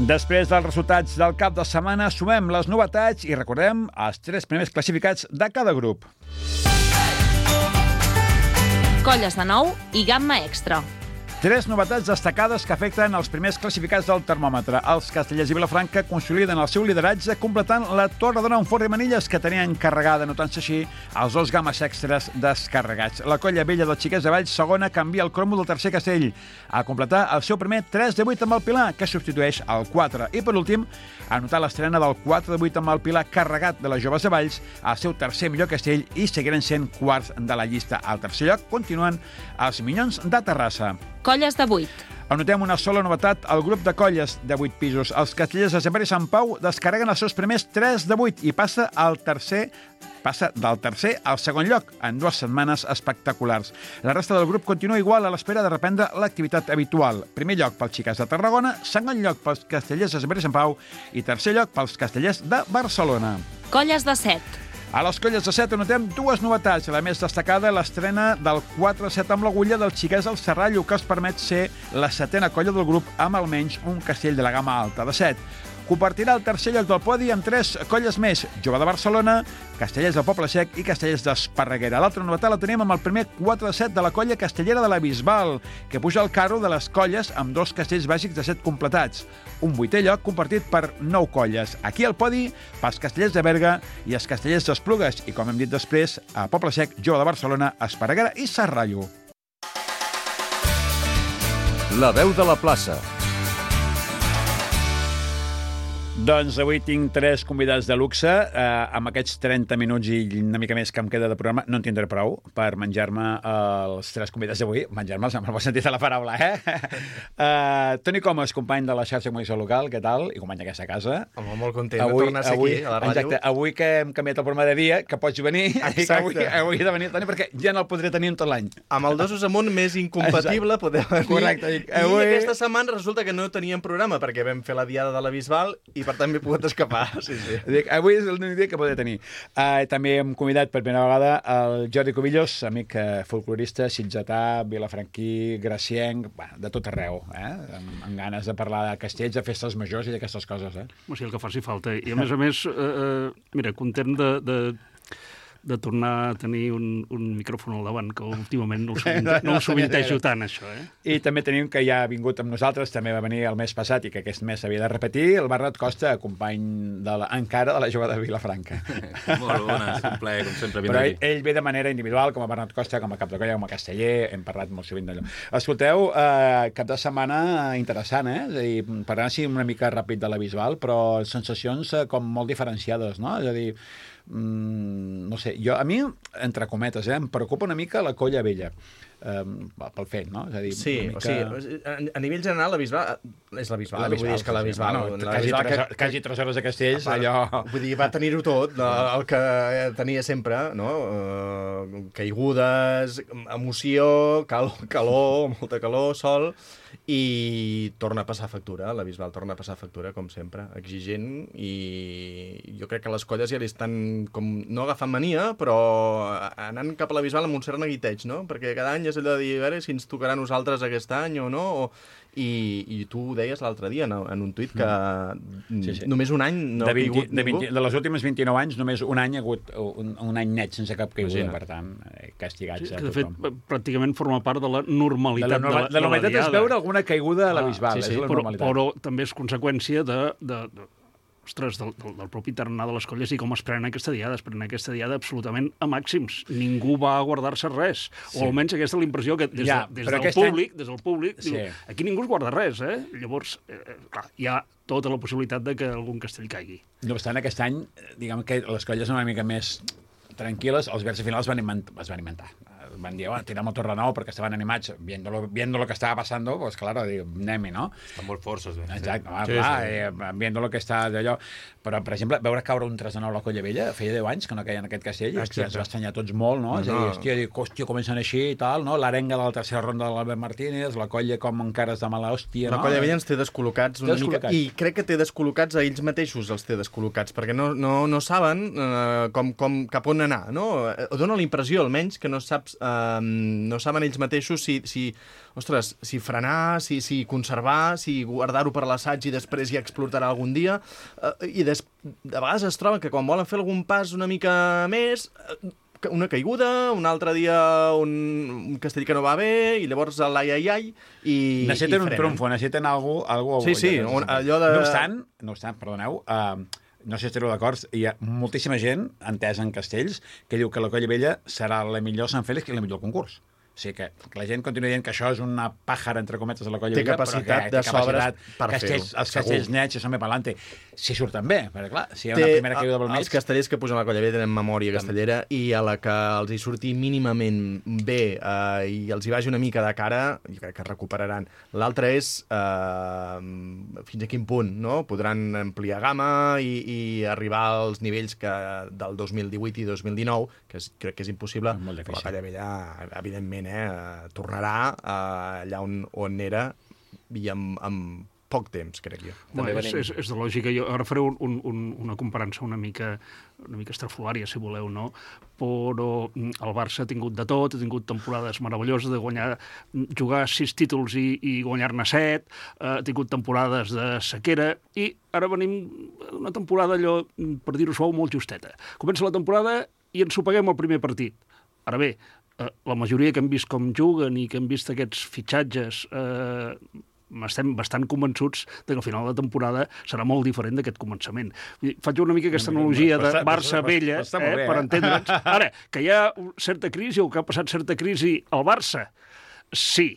Després dels resultats del cap de setmana, sumem les novetats i recordem els tres primers classificats de cada grup. Colles de nou i gamma extra. Tres novetats destacades que afecten els primers classificats del termòmetre. Els castellers i Vilafranca consoliden el seu lideratge completant la Torre de Nou Forn i Manilles, que tenien encarregada, notant-se així, els dos gammes extras descarregats. La colla vella dels Xiquets de Valls, segona, canvia el cromo del tercer castell a completar el seu primer tres de vuit amb el Pilar, que substitueix el quatre. I, per últim, a notar l'estrena del quatre de vuit amb el Pilar carregat de les joves de Valls, el seu tercer millor castell, i seguiran sent quarts de la llista. Al tercer lloc continuen els Minyons de Terrassa. Colles de vuit. Anotem una sola novetat al grup de colles de vuit pisos. Els castellers de Sant Pere i Sant Pau descarreguen els seus primers tres de vuit i passa al tercer passa del tercer al segon lloc en dues setmanes espectaculars. La resta del grup continua igual a l'espera de reprendre l'activitat habitual. Primer lloc pels Xiquets de Tarragona, segon lloc pels castellers de Sant Pere i Sant Pau i tercer lloc pels castellers de Barcelona. Colles de set. A les colles de set anotem dues novetats. La més destacada, l'estrena del quatre de set amb l'agulla del Xiquets del Serrallo, que els permet ser la setena colla del grup amb almenys un castell de la gamma alta de set. Compartirà el tercer lloc del podi amb tres colles més: Jove de Barcelona, Castellers del Poble Sec i Castellers d'Esparreguera. L'altra novetat la tenim amb el primer quatre de set de la colla castellera de la Bisbal, que puja al carro de les colles amb dos castells bàsics de set completats. Un vuitè lloc compartit per nou colles. Aquí al podi, pels castellers de Berga i els castellers d'Esplugues. I, com hem dit després, a Poble Sec, Jove de Barcelona, Esparreguera i Serrallo. La veu de la plaça. Doncs avui tinc tres convidats de luxe. Eh, amb aquests trenta minuts i una mica més que em queda de programa, no en tindré prou per menjar-me els tres convidats d'avui. Menjar-me'ls amb el bon sentit de la paraula, eh? eh Toni Comas, company de la xarxa de comunicació local, què tal? I company d'aquesta casa. Home, molt content avui, de tornar a ser avui, aquí, a la ràdio. Exacte, avui que hem canviat el programa de dia, que pots venir, i que avui, avui he de venir, Toni, perquè ja no el podré tenir en tot l'any. Amb el dosos amunt més incompatible poder venir. Correcte. I, avui... I aquesta setmana resulta que no teníem programa, perquè vam fer la diada de la Bisbal i per tant m'he pogut escapar. Sí, sí. Dic, avui és l'únic dia que podré tenir. Uh, també hem convidat per primera vegada el Jordi Cubillos, amic uh, folclorista, sitgetà, vilafranquí, gracienc, bueno, de tot arreu, eh? amb, amb ganes de parlar de castells, de festes majors i d'aquestes coses. Eh? O sigui, el que faci falta. I a més a més, eh, mira, content de... de... de tornar a tenir un, un micròfon al davant, que últimament no ho, sovinte, no ho sovintejo tant, això, eh? I també tenim que ja ha vingut amb nosaltres, també va venir el mes passat i que aquest mes s'havia de repetir, el Bernat Costa, company de la, encara de la jove de Vilafranca. Molt bones, un plaer, com sempre. Però ell, ell ve de manera individual, com a Bernat Costa, com a cap de colla, com a casteller, hem parlat molt sovint d'allò. Escolteu, eh, cap de setmana interessant, eh? És a dir, parlant així una mica ràpid de la Bisbal, però sensacions eh, com molt diferenciades, no? És a dir, Mm, no sé, jo, a mi, entre cometes, eh, em preocupa una mica la colla vella, eh, pel fet, no? És a dir, sí, mica... o sigui, a, a nivell general, la Bisbal és la Bisbal, la Bisbal, vull dir, és que la Bisbal... Sí, bueno, la quasi, Bisbal tres, que, quasi tres hores de castells, part, allò... Vull dir, va tenir-ho tot, el que tenia sempre, no? Uh, caigudes, emoció, calor, calor, molta calor, sol, i torna a passar factura, la Bisbal torna a passar factura, com sempre, exigent, i jo crec que les colles ja li estan, com, no agafant mania, però anant cap a la Bisbal amb un cert neguiteig, no? Perquè cada any és allò de dir, a veure si ens tocarà a nosaltres aquest any o no, o... I, i tu ho deies l'altre dia en, en un tuit que mm. sí, sí. només un any no de ha caigut de, ningú. vint, de les últimes vint-i-nou anys, només un any ha hagut un, un any net sense cap caiguda, per tant, castigats sí, a tothom. De fet, pràcticament forma part de la normalitat de la, de la, de la normalitat és veure alguna caiguda a la Bisbal, ah, sí, sí, és la però, normalitat. però també és conseqüència de... de, de ostres, del, del, del propi tarannà de les colles i com es prenen aquesta diada. Es prenen aquesta diada absolutament a màxims. Ningú va a guardar-se res. Sí. O almenys aquesta és la impressió que des, ja, de, des, del públic, any... des del públic, sí. diu, aquí ningú es guarda res, eh? Llavors, eh, clar, hi ha tota la possibilitat de que algun castell caigui. No obstant, aquest any, diguem que les colles són una mica més tranquil·les, els versos finals van inventar, es van inventar. Van dir, bueno, tiramos Torre Nou perquè estaven animats viendo lo, viendo lo que estaba pasando, pues claro, digo, anem-hi, no? Estan molt forces, bé. Exacte, sí. clar, sí, sí. Eh, viendo lo que està d'allò. Però, per exemple, veure caure un tres de nou a la Colla Vella, feia deu anys que no queia en aquest castell, i hòstia, ens va estranyar tots molt, no? no. És a dir, hòstia, dic, hòstia, comencen així i tal, no? L'arenga de la tercera ronda de l'Albert Martínez, la colla com encara és de mala hòstia, no? La Colla Vella ens té descol·locats una descol·locats. mica, i crec que té descol·locats a ells mateixos, els té descol·locats, perquè no, no, no saben eh, com, com, cap on anar, no? Dóna la impressió, almenys, que no saps... Eh, no saben ells mateixos si, si, ostres, si frenar, si, si conservar, si guardar-ho per l'assaig i després ja explotarà algun dia. Eh, I des, de vegades es troben que quan volen fer algun pas una mica més, una caiguda, un altre dia un, un castell que no va bé, i llavors l'ai, ai, ai, i necessiten i un trumfo, necessiten algú... algú sí, sí, un, allò de... No obstant, no obstant, perdoneu, uh, no sé si estareu d'acord, hi ha moltíssima gent entesa en castells que diu que la Colla Vella serà la millor Sant Fèlix i la millor concurs. O sigui que, que la gent continua dient que això és una pàjara, entre cometes, de la Colla Vella, Vella, capacitat però que té capacitat de sobres per fer-ho. Els castells nets, això me pa'lante. Si surten bé, perquè clar, si hi ha té, una primera caiguda pel mig... Els castellers que pugen a la Colla Vella tenen memòria castellera i a la que els hi surti mínimament bé eh, i els hi vagi una mica de cara, jo crec que es recuperaran. L'altre és eh, fins a quin punt, no? Podran ampliar gamma i, i arribar als nivells que del dos mil divuit i dos mil dinou, que és, crec que és impossible, però la Colla Vella, evidentment, eh, tornarà eh, allà on, on era i amb, amb poc temps, crec jo. Bueno, és, és, és de lògica. Jo ara faré un, un, una comparança una mica, una mica estrafolària, si voleu, no? Però el Barça ha tingut de tot, ha tingut temporades meravelloses de guanyar, jugar sis títols i, i guanyar-ne set, ha tingut temporades de sequera, i ara venim una temporada allò, per dir-ho suau, molt justeta. Comença la temporada i ens ho paguem al primer partit. Ara bé, la majoria que hem vist com juguen i que hem vist aquests fitxatges eh, estem bastant convençuts que al final de temporada serà molt diferent d'aquest començament. Faig una mica aquesta analogia de Barça-Vella, eh, per entendre'ns. Ara, que hi ha certa crisi o que ha passat certa crisi al Barça, sí.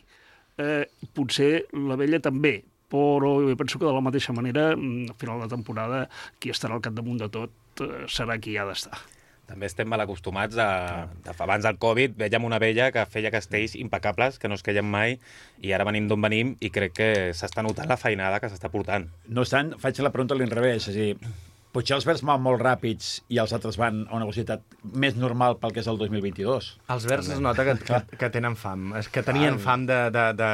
Eh, potser la Vella també, però jo penso que de la mateixa manera, al final de temporada, qui estarà al capdamunt de tot eh, serà qui ha d'estar. També estem mal acostumats a, a... Abans del Covid veiem una vella que feia castells impecables, que no es queien mai, i ara venim d'on venim i crec que s'està notant la feinada que s'està portant. No obstant, faig la pregunta a l'inrevés, és a dir, potser els verds van molt ràpids i els altres van a una velocitat més normal pel que és el dos mil vint-i-dos. Els verds es nota que, que, que tenen fam, és que tenien fam de, de, de,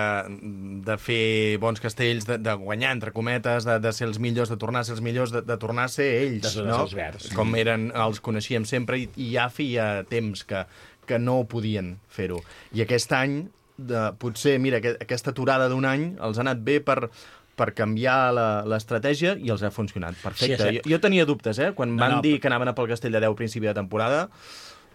de fer bons castells, de, de guanyar, entre cometes, de, de ser els millors, de tornar a ser els millors, de, de tornar a ser ells, de no? Els verds. Com eren, els coneixíem sempre, i, i ja feia temps que, que no podien fer-ho. I aquest any, de, potser, mira, que, aquesta aturada d'un any els ha anat bé per... per canviar l'estratègia i els ha funcionat. Perfecte. Sí, jo, jo tenia dubtes, eh? Quan no, van no, dir que anaven a pel Castell de Deu a principi de temporada,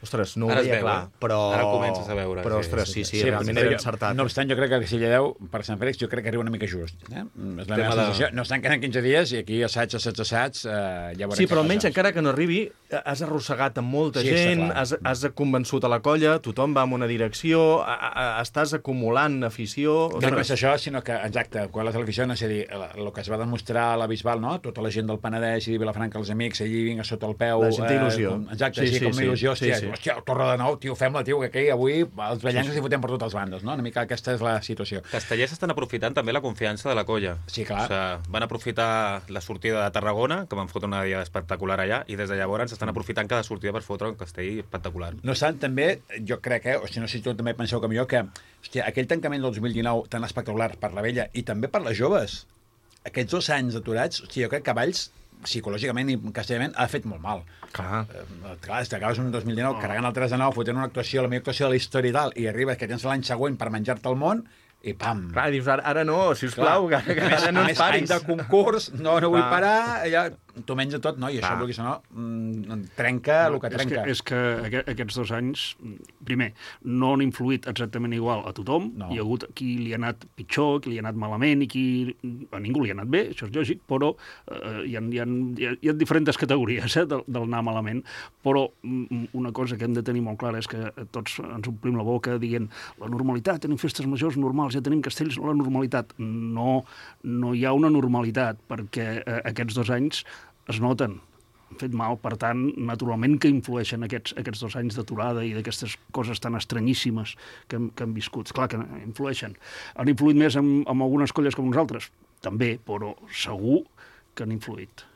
ostres, no ho ara veia veu, clar, però... Ara comences a veure. Però, ostres, sí, sí, sí, sí realment era encertat. No obstant, jo crec que el Castell de Deu, per Sant Fèlix, jo crec que arriba una mica just. Eh? És la meva sensació. No estan quedant quinze dies i aquí assaig, assaig, assaig, eh, ja veurem. Sí, però almenys encara que no arribi, has arrossegat amb molta sí, gent, has, has convençut a la colla, tothom va en una direcció, a, a, estàs acumulant afició... No només això, sinó que, exacte, quan la televisió, no sé dir, el que es va demostrar a la Bisbal, no? Tota la gent del Penedès i de Vilafranca, els amics, allí vinga sota el peu... La gent té il·lusió. Eh, exacte, sí, sí, com una il·lusió, sí, hòstia, sí. hòstia, Torre de Nou, tio, fem-la, tio, que aquí avui els vellencs sí, sí. s'hi fotem per totes les bandes, no? Una mica aquesta és la situació. Castellers estan aprofitant també la confiança de la colla. Sí, clar. O sigui, van aprofitar la sortida de Tarragona, que van fotre una dia espectacular allà, i des de llavors estan aprofitant cada sortida per fotre un castell espectacular. No obstant, també, jo crec, eh, o si no sé si tu també penseu com jo, que hòstia, aquell tancament del dos mil dinou tan espectacular per la vella i també per les joves, aquests dos anys aturats, hòstia, jo crec que Valls psicològicament i castellament ha fet molt mal. Clar. Eh, clar, t'acabes un dos mil dinou oh. carregant el tres de nou, fotent una actuació, la millor actuació de la història i tal, i arribes que tens l'any següent per menjar-te el món i pam. Clar, dius, ara, ara no, sisplau, que, que ara no ens paris. Any de concurs, no, no vull parar, allà t'ho menja tot, no? I això, vulguis o no, mm, trenca el que trenca. És que, és que aquests dos anys, primer, no han influït exactament igual a tothom. No. Hi ha hagut qui li ha anat pitjor, qui li ha anat malament, i qui a ningú li ha anat bé, això és lògic, però eh, hi, ha, hi, ha, hi ha diferents categories eh, del, del anar malament. Però una cosa que hem de tenir molt clara és que tots ens omplim la boca dient la normalitat, tenim festes majors normals, ja tenim castells, la normalitat. No, no hi ha una normalitat, perquè eh, aquests dos anys es noten, han fet mal, per tant, naturalment que influeixen aquests, aquests dos anys d'aturada i d'aquestes coses tan estranyíssimes que hem, que hem viscut. Clar que influeixen. Han influït més en, en algunes colles com nosaltres? També, però segur que han influït.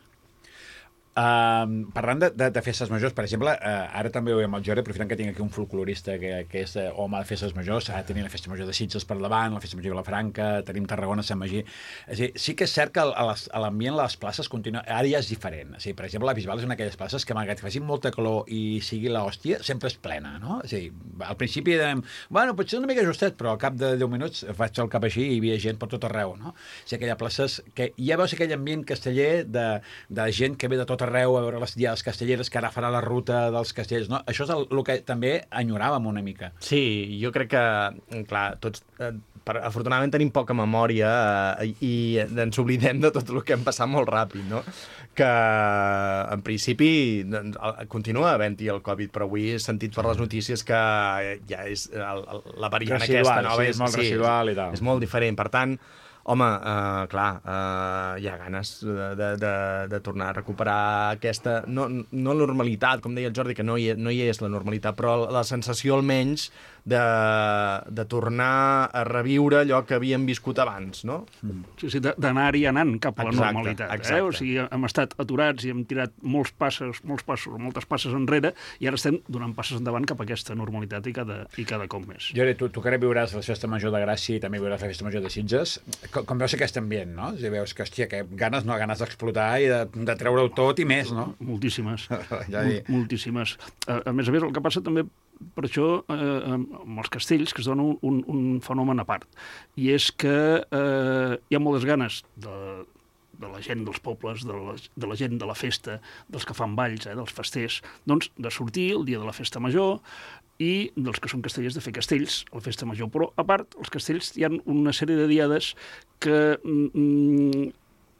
Uh, parlant de, de, de festes majors, per exemple, uh, ara també ho veiem al Jordi, aprofitant que tinc aquí un folclorista que, que és uh, home de festes majors, ara tenim la festa major de Sitges per davant, la festa major de Vilafranca, tenim Tarragona, Sant Magí. És a dir, sí que és cert que l'ambient a les places continua, ara ja és diferent. És a dir, per exemple, la Bisbal és una d'aquelles places que, malgrat que faci molta calor i sigui l'hòstia, sempre és plena, no? És a dir, al principi dèiem, bueno, potser una mica justet, però al cap de deu minuts vaig al cap així i hi havia gent per tot arreu, no? O sigui, aquelles places que ja veus aquell ambient casteller de, de gent que ve de tot arreu a veure les diades castelleres, que ara farà la ruta dels castellers, no? Això és el, el que també enyoràvem una mica. Sí, jo crec que, clar, tots, eh, per, afortunadament tenim poca memòria eh, i ens oblidem de tot el que hem passat molt ràpid, no? Que, en principi, doncs, continua havent-hi el Covid, però avui he sentit per les notícies que ja és el, el, la variant residual, aquesta nova. Sí, és molt sí, residual i tal. És molt diferent, per tant, home, uh, clar, uh, hi ha ganes de, de, de, de tornar a recuperar aquesta, no, no normalitat, com deia el Jordi, que no hi, no hi és la normalitat, però la sensació almenys de, de tornar a reviure allò que havíem viscut abans, no? Sí, sí, d'anar-hi anant cap a la exacte, normalitat. Exacte. Eh? O sigui, hem estat aturats i hem tirat molts passes, molts passos, moltes passes enrere, i ara estem donant passes endavant cap a aquesta normalitat i cada, i cada cop més. Jordi, tu, tu que ara viuràs la festa major de Gràcia i també viuràs la festa major de Sitges, com, com veus aquest ambient, no? Si veus que, hòstia, que ganes, no, ganes d'explotar i de, de treure-ho tot i més, no? Moltíssimes. Ja Mol, moltíssimes. A, a més a més, el que passa també per això, eh, amb els castells, que es dona un, un, un fenomen a part, i és que eh, hi ha moltes ganes de, de la gent dels pobles, de la, de la gent de la festa, dels que fan balls, eh, dels festers, doncs de sortir el dia de la festa major i dels que són castellers de fer castells a la festa major. Però, a part, els castells hi ha una sèrie de diades que mm,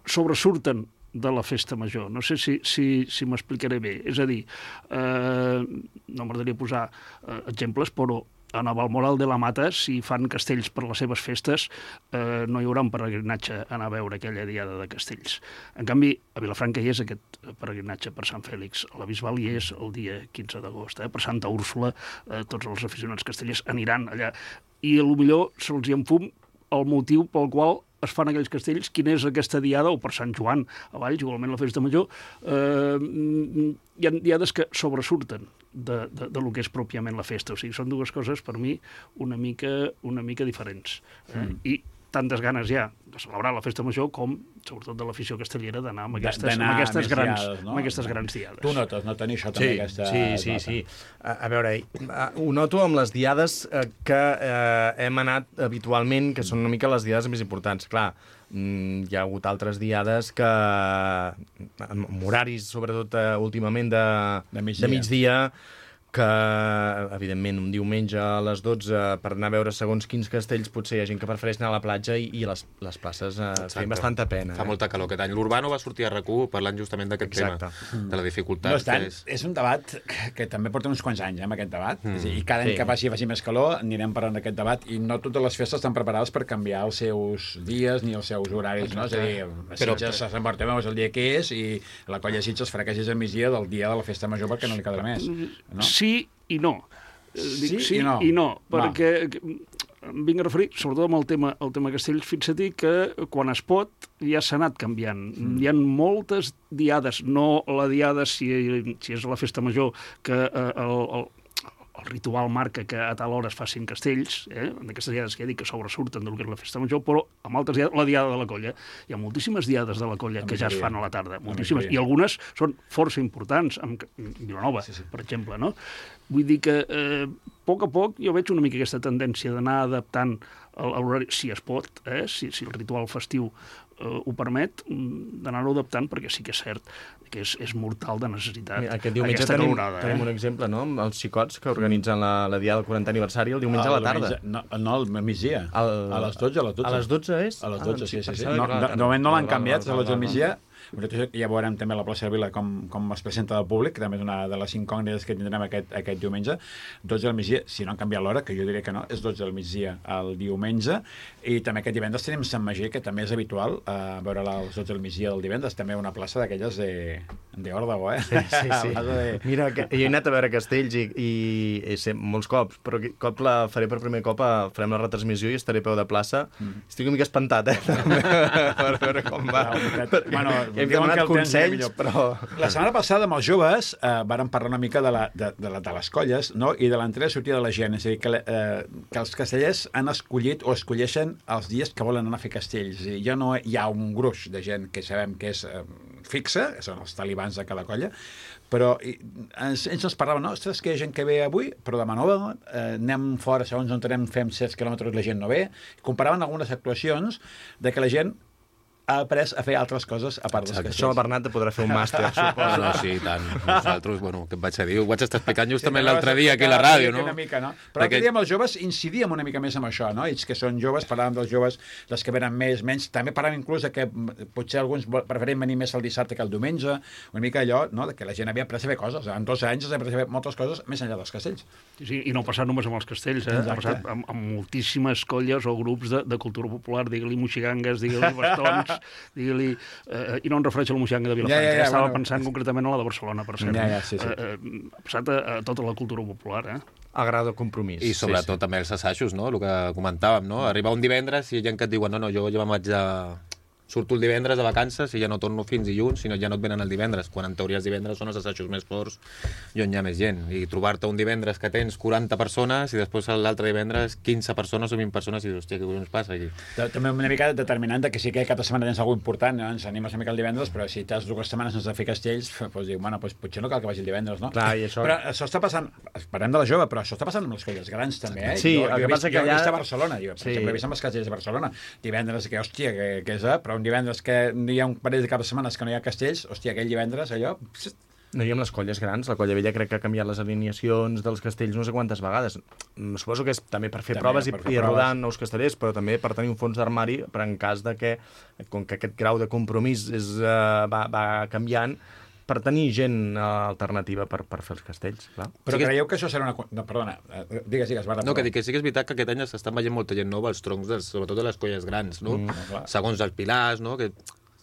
sobresurten de la festa major. No sé si, si, si m'explicaré bé. És a dir, eh, no m'agradaria posar eh, exemples, però a Navalmoral de la Mata, si fan castells per les seves festes, eh, no hi haurà un peregrinatge a anar a veure aquella diada de castells. En canvi, a Vilafranca hi és aquest peregrinatge per Sant Fèlix, a la Bisbal hi és el dia quinze d'agost. Eh? Per Santa Úrsula, eh, tots els aficionats castellers aniran allà. I potser se'ls hi enfum el motiu pel qual es fan aquells castells, quina és aquesta diada, o per Sant Joan, a Valls, igualment la festa major, eh, hi ha diades que sobresurten de, de, de lo que és pròpiament la festa. O sigui, són dues coses, per mi, una mica, una mica diferents. Eh? Mm. I tantes ganes ja de celebrar la festa major com, sobretot de l'afició castellera, d'anar amb aquestes, amb aquestes, grans, diades, no? amb aquestes grans diades. Tu notes, no tenir això també, sí, aquesta... Sí, sí, sí. A, a veure, ho noto amb les diades que eh, hem anat habitualment, que són una mica les diades més importants. Clar, hi ha hagut altres diades que, amb horaris, sobretot uh, últimament, de, de migdia, de migdia que, evidentment, un diumenge a les dotze per anar a veure segons quins castells potser hi ha gent que prefereix anar a la platja i, i les, les places eh, feien bastanta pena. Fa eh? molta calor aquest any. L'Urbano va sortir a RAC u parlant justament d'aquest tema, de la dificultat. No tant, és... és un debat que, que també porta uns quants anys, eh, amb aquest debat, mm. i cada any sí. que faci, faci més calor anirem parlant d'aquest debat, i no totes les festes estan preparades per canviar els seus dies ni els seus horaris, no? És a dir, a Sitges a Sant Bartomeu és el dia que és, i la colla de Sitges farà que hagi al migdia del dia de la festa major perquè no li quedarà més, no? Sí i no. Sí, Dic sí i no. I no, perquè em vinc a referir, sobretot amb el tema, el tema castells, fixa-t'hi que quan es pot ja s'ha anat canviant. Mm. Hi ha moltes diades, no la diada si, si és la festa major, que eh, el, el, el ritual marca que a tal hora es facin castells, eh? En aquestes diades que ja dic que sobresurten del que és la festa major, però amb altres diades, la diada de la colla. Hi ha moltíssimes diades de la colla que ja es fan a la tarda, moltíssimes, i algunes són força importants, amb Vilanova, sí, sí. per exemple, no? Vull dir que eh, poc a poc jo veig una mica aquesta tendència d'anar adaptant l'horari, si es pot, eh? si, si el ritual festiu eh, ho permet, d'anar-ho adaptant, perquè sí que és cert que és, és mortal de necessitat. Mira, aquest diumenge aquesta tenim, calorada, tenim eh? un exemple, no?, amb els xicots que organitzen la, la diada del quarantè aniversari el diumenge a la tarda. No, no al migdia. El... A les dotze, a les dotze. A les dotze és? A les dotze, ah, sí, sí. sí. no, No, de, de moment no l'han canviat, a les dotze del migdia. Ja veurem també a la plaça de Vila com, com es presenta al públic, que també és una de les incògnites que tindrem aquest, aquest diumenge. dotze del migdia, si no han canviat l'hora, que jo diria que no, és dotze del migdia el diumenge. I també aquest divendres tenim Sant Magí, que també és habitual eh, veure els dotze del migdia del divendres, també una plaça d'aquelles de, de Òrdego, eh? Sí, sí, sí. de... Mira, que jo he anat a veure Castells i, i, i sé, molts cops, però aquest cop la faré per primer cop, a, farem la retransmissió i estaré a peu de plaça. Mm. Estic una mica espantat, eh? per veure com va. No, bueno, hem demanat consells, però... La setmana passada amb els joves eh, vàrem parlar una mica de, la, de, de, la, de les colles, no?, i de l'entrada i sortida de la gent. És a dir, que, eh, que els castellers han escollit o escolleixen els dies que volen anar a fer castells. I ja no hi ha un gruix de gent que sabem que és eh, fixa, que són els talibans de cada colla, però i, ens, ens ens parlaven, no, ostres, que hi ha gent que ve avui, però demà no ve, eh, anem fora, segons on anem, fem set quilòmetres, la gent no ve. Comparaven algunes actuacions de que la gent ha après a fer altres coses a part dels castells. Això el Bernat podrà fer un màster, suposo. No, sí, i tant. Nosaltres, bueno, què et vaig a dir? Ho vaig estar explicant justament l'altre dia aquí a la ràdio, no? Una mica, no? Però l'altre dia amb els joves incidíem una mica més amb això, no? Ells que són joves, parlàvem dels joves, dels que venen més, menys. També parlàvem inclús de que potser alguns preferim venir més el dissabte que el diumenge, una mica allò, no?, de que la gent havia après a fer coses. En dos anys has après a fer moltes coses més enllà dels castells. Sí, i no ha passat només amb els castells, eh? Exacte. Ha passat amb, amb moltíssimes colles o grups de, de cultura popular, digue-li moxigangues, digue-li bastons, digue-li... Eh, i no em refereixo a la moxianga de Vilafranca, ja, ja, ja, estava bueno, pensant concretament a la de Barcelona, per cert. Ja, ja, sí, sí. Eh, eh, ha passat a, a tota la cultura popular, eh? A grau de compromís. I sobretot sí, sí. també els assajos, no?, el que comentàvem, no? Arribar un divendres i hi ha gent que et diuen no, no, jo ja me'n vaig a... surto el divendres de vacances i ja no torno fins dilluns, sinó ja no et venen el divendres, quan en teoria els divendres són els assajos més forts i on hi ha més gent. I trobar-te un divendres que tens quaranta persones i després l'altre divendres quinze persones o vint persones i dius, hòstia, què collons passa aquí? També una mica determinant que sí que cap setmana tens alguna important, no? Ens animes una mica el divendres, però si t'has dues setmanes sense fer castells, doncs dic, bueno, doncs potser no cal que vagi el divendres, no? Clar, i això... Però això està passant, parlem de la jove, però això està passant amb les colles grans també, eh? Sí, jo, el jo que passa que allà... Jo he vist a Barcelona, jo, per sí. exemple, he vist amb els castells de Barcelona, divendres, que hòstia, que, que és, però un divendres que hi ha un parell de cap de setmanes que no hi ha castells, hòstia, aquell divendres, allò... No, i amb les colles grans, la Colla Vella crec que ha canviat les alineacions dels castells no sé quantes vegades. Suposo que és també per fer també, proves i, per fer i rodar proves. Nous castellers, però també per tenir un fons d'armari per en cas de que, com que aquest grau de compromís és, uh, va, va canviant, per tenir gent alternativa per, per fer els castells, clar. Però sí que... creieu que això serà una... No, perdona, digues, digues, Barra. No, que dic que sí que és veritat que aquest any s'estan veient molta gent nova als troncs, dels, sobretot de les colles grans, no? Mm, no segons els pilars, no?, que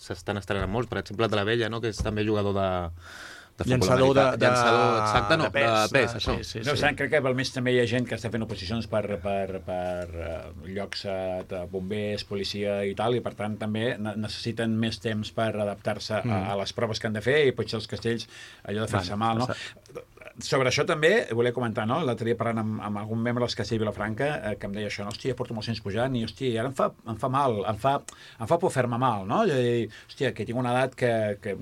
s'estan estrenant molts, per exemple, de la Vella, no?, que és també jugador de... de llançador de, de, llançador, exacte, no, de pes, de pes de, això. Sí, sí, no, sí. Saben, crec que al mig també hi ha gent que està fent oposicions per, per, per uh, llocs uh, de bombers, policia i tal, i per tant també necessiten més temps per adaptar-se mm. a, a les proves que han de fer i potser els castells allò de fer-se mal, no? Sobre això també volia comentar, no? L'altre dia parlant amb, amb algun membre dels castells de Vilafranca eh, que em deia això, no? Hòstia, porto molts anys pujant i hòstia, ara em fa, em fa mal, em fa, em fa por fer-me mal, no? És a dir, hòstia, que tinc una edat que, que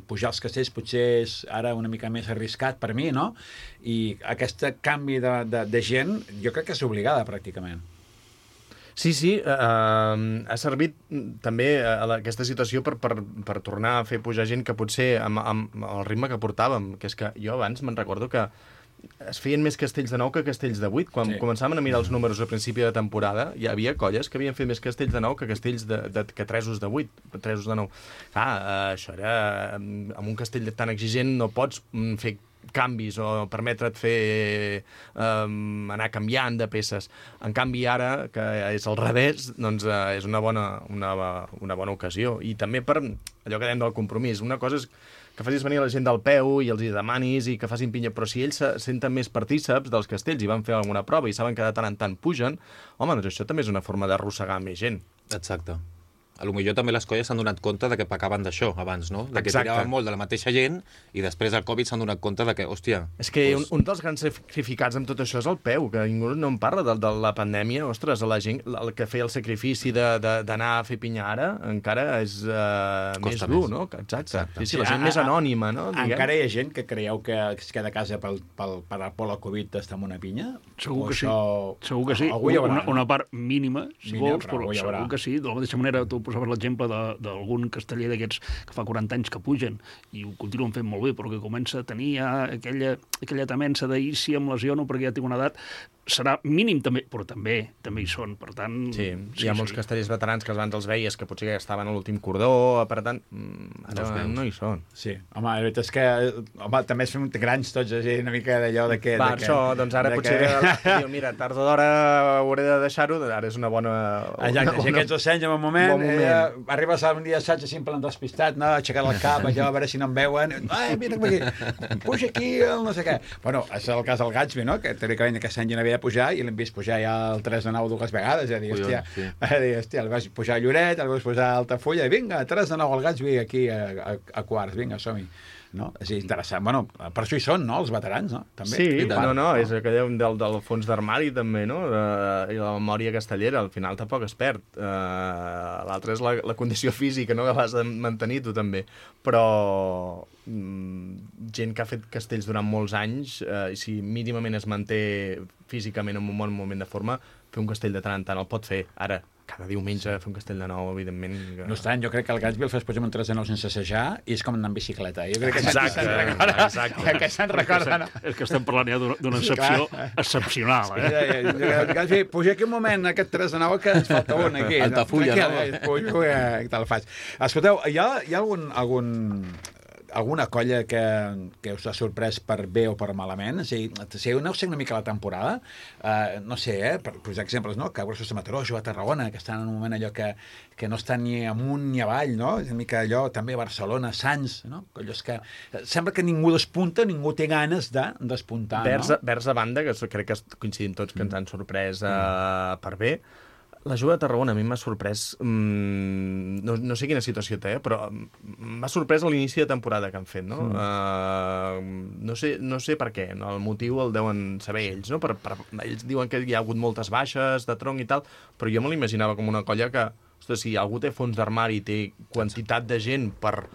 pujar als castells potser és ara una mica més arriscat per mi, no? I aquest canvi de, de, de gent jo crec que és obligada pràcticament. Sí, sí, eh, ha servit també a la, aquesta situació per, per, per tornar a fer pujar gent que potser amb, amb el ritme que portàvem, que és que jo abans me'n recordo que es feien més castells de nou que castells de vuit. Quan sí. començàvem a mirar els números a principi de temporada, hi havia colles que havien fet més castells de nou que castells de, de, que tresos de vuit, tresos de nou. Clar, eh, això era... Amb un castell tan exigent no pots fer canvis o permetre't fer um, anar canviant de peces. En canvi ara, que és al revés, doncs uh, és una bona, una, una bona ocasió. I també per allò que dèiem del compromís. Una cosa és que facis venir la gent del peu i els hi demanis i que facin pinya, però si ells se senten més partíceps dels castells i van fer alguna prova i saben que de tant en tant pugen, home, doncs això també és una forma d'arrossegar més gent. Exacte. a lo millor també les colles s'han donat compte de que pecaven d'això abans, no? De que Exacte. tiraven molt de la mateixa gent i després del Covid s'han donat compte de que, hòstia... És que doncs... un, un dels grans sacrificats amb tot això és el peu, que ningú no en parla de, de la pandèmia. Ostres, la gent el que feia el sacrifici d'anar a fer pinya ara encara és uh, més dur, no? Exacte. Exacte. Sí, sí, la gent a, més anònima, no? Diguem. Encara hi ha gent que creieu que es queda a casa pel, pel, per, per la Covid està amb una pinya? Segur O que sí. això... Segur que sí. Algú hi haurà, una, no? una part mínima, si Mínima, vols, però però algú hi haurà. segur que sí. De la mateixa manera, tu posaves l'exemple de- d'algun casteller d'aquests que fa quaranta anys que pugen i ho continuen fent molt bé, però que comença a tenir ja aquella, aquella temença de i si em lesiono perquè ja tinc una edat, serà mínim també, però també també hi són, per tant... Sí, hi ha molts castellers veterans que abans els veies que potser ja estaven a l'últim cordó, per tant, mm, ara No els no, veus. hi són. Sí, home, la veritat és que home, també es fem grans tots, així, una mica d'allò de que... Va, de que, això, doncs ara de potser Que... diu, mira, tard o d'hora hauré de deixar-ho, ara és una bona... Exacte, si aquests docents en un moment, bon moment. Ella, arribes un dia assaig així en plan despistat, no? Aixecat el cap, allò, a veure si no em veuen, ai, vine aquí, puja aquí, el no sé què. Bueno, és el cas del Gatsby, no? Que teòricament aquest any ja no havia de pujar i l'hem vist pujar ja el tres de nou dues vegades, és a dir, Collons, hòstia, sí. a dir, hòstia, el vas pujar a Lloret, el vas pujar a Altafulla, i vinga, tres de nou al Gatsby aquí a, a, a quarts, vinga, som-hi. No? És interessant. Bueno, per això hi són, no?, els veterans, no? També. Sí, tant. no, no, és aquell del, del fons d'armari també, no? Uh, I la memòria castellera, al final tampoc es perd. Uh, L'altre és la, la condició física, no?, que l'has de mantenir tu també. Però mm, gent que ha fet castells durant molts anys, uh, i si mínimament es manté físicament en un bon moment de forma, fer un castell de tant en tant el pot fer. Ara, cada diumenge fer un castell de nou, evidentment... Que... No obstant, jo crec que el Gatsby el fas posar un tres de nou sense assajar i és com anar en bicicleta. Jo crec que Exacte, se'n recorda. exacte. Que se'n recorda, no? És que estem parlant ja d'una d'una Sí, excepció clar. excepcional, eh? Sí, sí, Gatsby, puja aquí un moment, aquest tres de nou, que ens falta un aquí. Altafulla, no? no? Puja, puja, i te'l faig. Escolteu, hi ha, hi ha algun, algun, alguna colla que, que us ha sorprès per bé o per malament? O sigui, si aneu sent una mica la temporada, eh, no sé, eh, per posar exemples, no? Cabressos de Mataró, a Tarragona, que estan en un moment allò que, que no estan ni amunt ni avall, no? Una mica allò, també Barcelona, Sants, no? Collos que... Sembla que ningú despunta, ningú té ganes de despuntar, Vers, no? vers a banda, que crec que coincidim tots que ens han sorprès uh, per bé, la Juga de Tarragona a mi m'ha sorprès, mmm, no, no sé quina situació té, però m'ha sorprès a l'inici de temporada que han fet, no? Mm. Uh, no, sé, no sé per què, no? El motiu el deuen saber ells, no? Per, per, ells diuen que hi ha hagut moltes baixes de tronc i tal, però jo me l'imaginava com una colla que, ostres, si algú té fons d'armari i té quantitat de gent per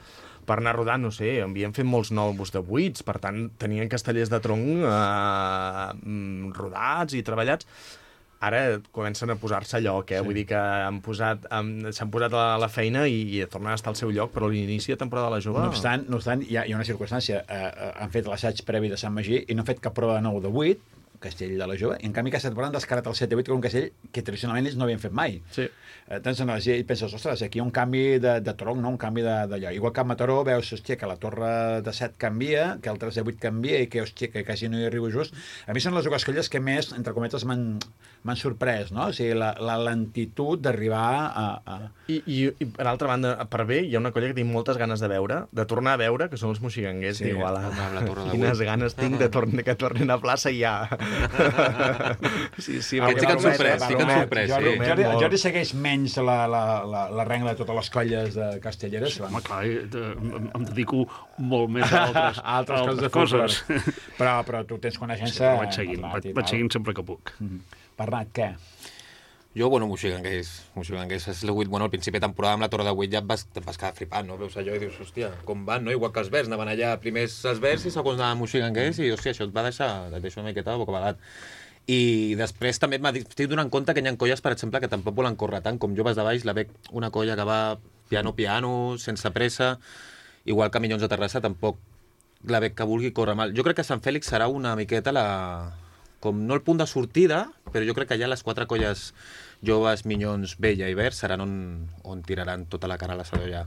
per anar rodant, no sé, havien fet molts nous de buits, per tant, tenien castellers de tronc eh, rodats i treballats. Ara comencen a posar-se a lloc, eh? Sí. Vull dir que han posat, han, s'han posat a la feina i, i tornen a estar al seu lloc, però a l'inici de temporada de la Jove... No obstant, no obstant hi, ha, hi ha una circumstància. Eh, han fet l'assaig previ de Sant Magí i no han fet cap prova de nou de vuit, castell de la Jove, i en canvi aquesta temporada han descarat el set de vuit, que és un castell que tradicionalment ells no havien fet mai. Sí. Eh, doncs no, i penses, ostres, aquí hi ha un canvi de, de tronc, no? Un canvi d'allò. Igual que a Mataró veus, hòstia, que la torre de set canvia, que el tres de vuit canvia i que, hòstia, que quasi no hi arribo just. A mi són les dues colles que més, entre cometes, m'han sorprès, no? O sigui, la, la lentitud d'arribar a... a... I, i, I, per altra banda, per bé, hi ha una colla que tinc moltes ganes de veure, de tornar a veure, que són els moxiganguers. Sí, Diu, ala, la torre de quines vuit. ganes tinc de torn que tornin a plaça ja. Sí, sí, Aquest sí que ens sorprès, sí que ens sorprès, Jordi, sí. Jordi, Jordi segueix menys la, la, la, la regla de totes les colles de castelleres. Home, clar, eh, em, em dedico molt més a altres, a altres coses. De coses. folklore. Però, però tu tens Sí, coneixença... però vaig seguint, vaig, vaig seguint sempre que puc. Bernat, què? Jo, bueno, moxiganguers, moxiganguers, has legut, bueno, al principi de temporada amb la Torre de vuit ja et vas, et vas quedar flipant, no? Veus allò i dius, hòstia, com van, no? Igual que els Verds, anaven allà, primers els Verds i segons anaven moxiganguers i, hòstia, això et va deixar, et deixa una miqueta de bocabadat. I després també m'estic donant compte que hi ha colles, per exemple, que tampoc volen córrer tant, com Joves de Baix, la veig una colla que va piano-piano, sense pressa, igual que Minyons de Terrassa, tampoc la veig que vulgui córrer mal. Jo crec que Sant Fèlix serà una miqueta la... com no el punt de sortida, però jo crec que ja les quatre colles Joves, Minyons, Vella i Verds seran on, on tiraran tota la cara a l'assador ja.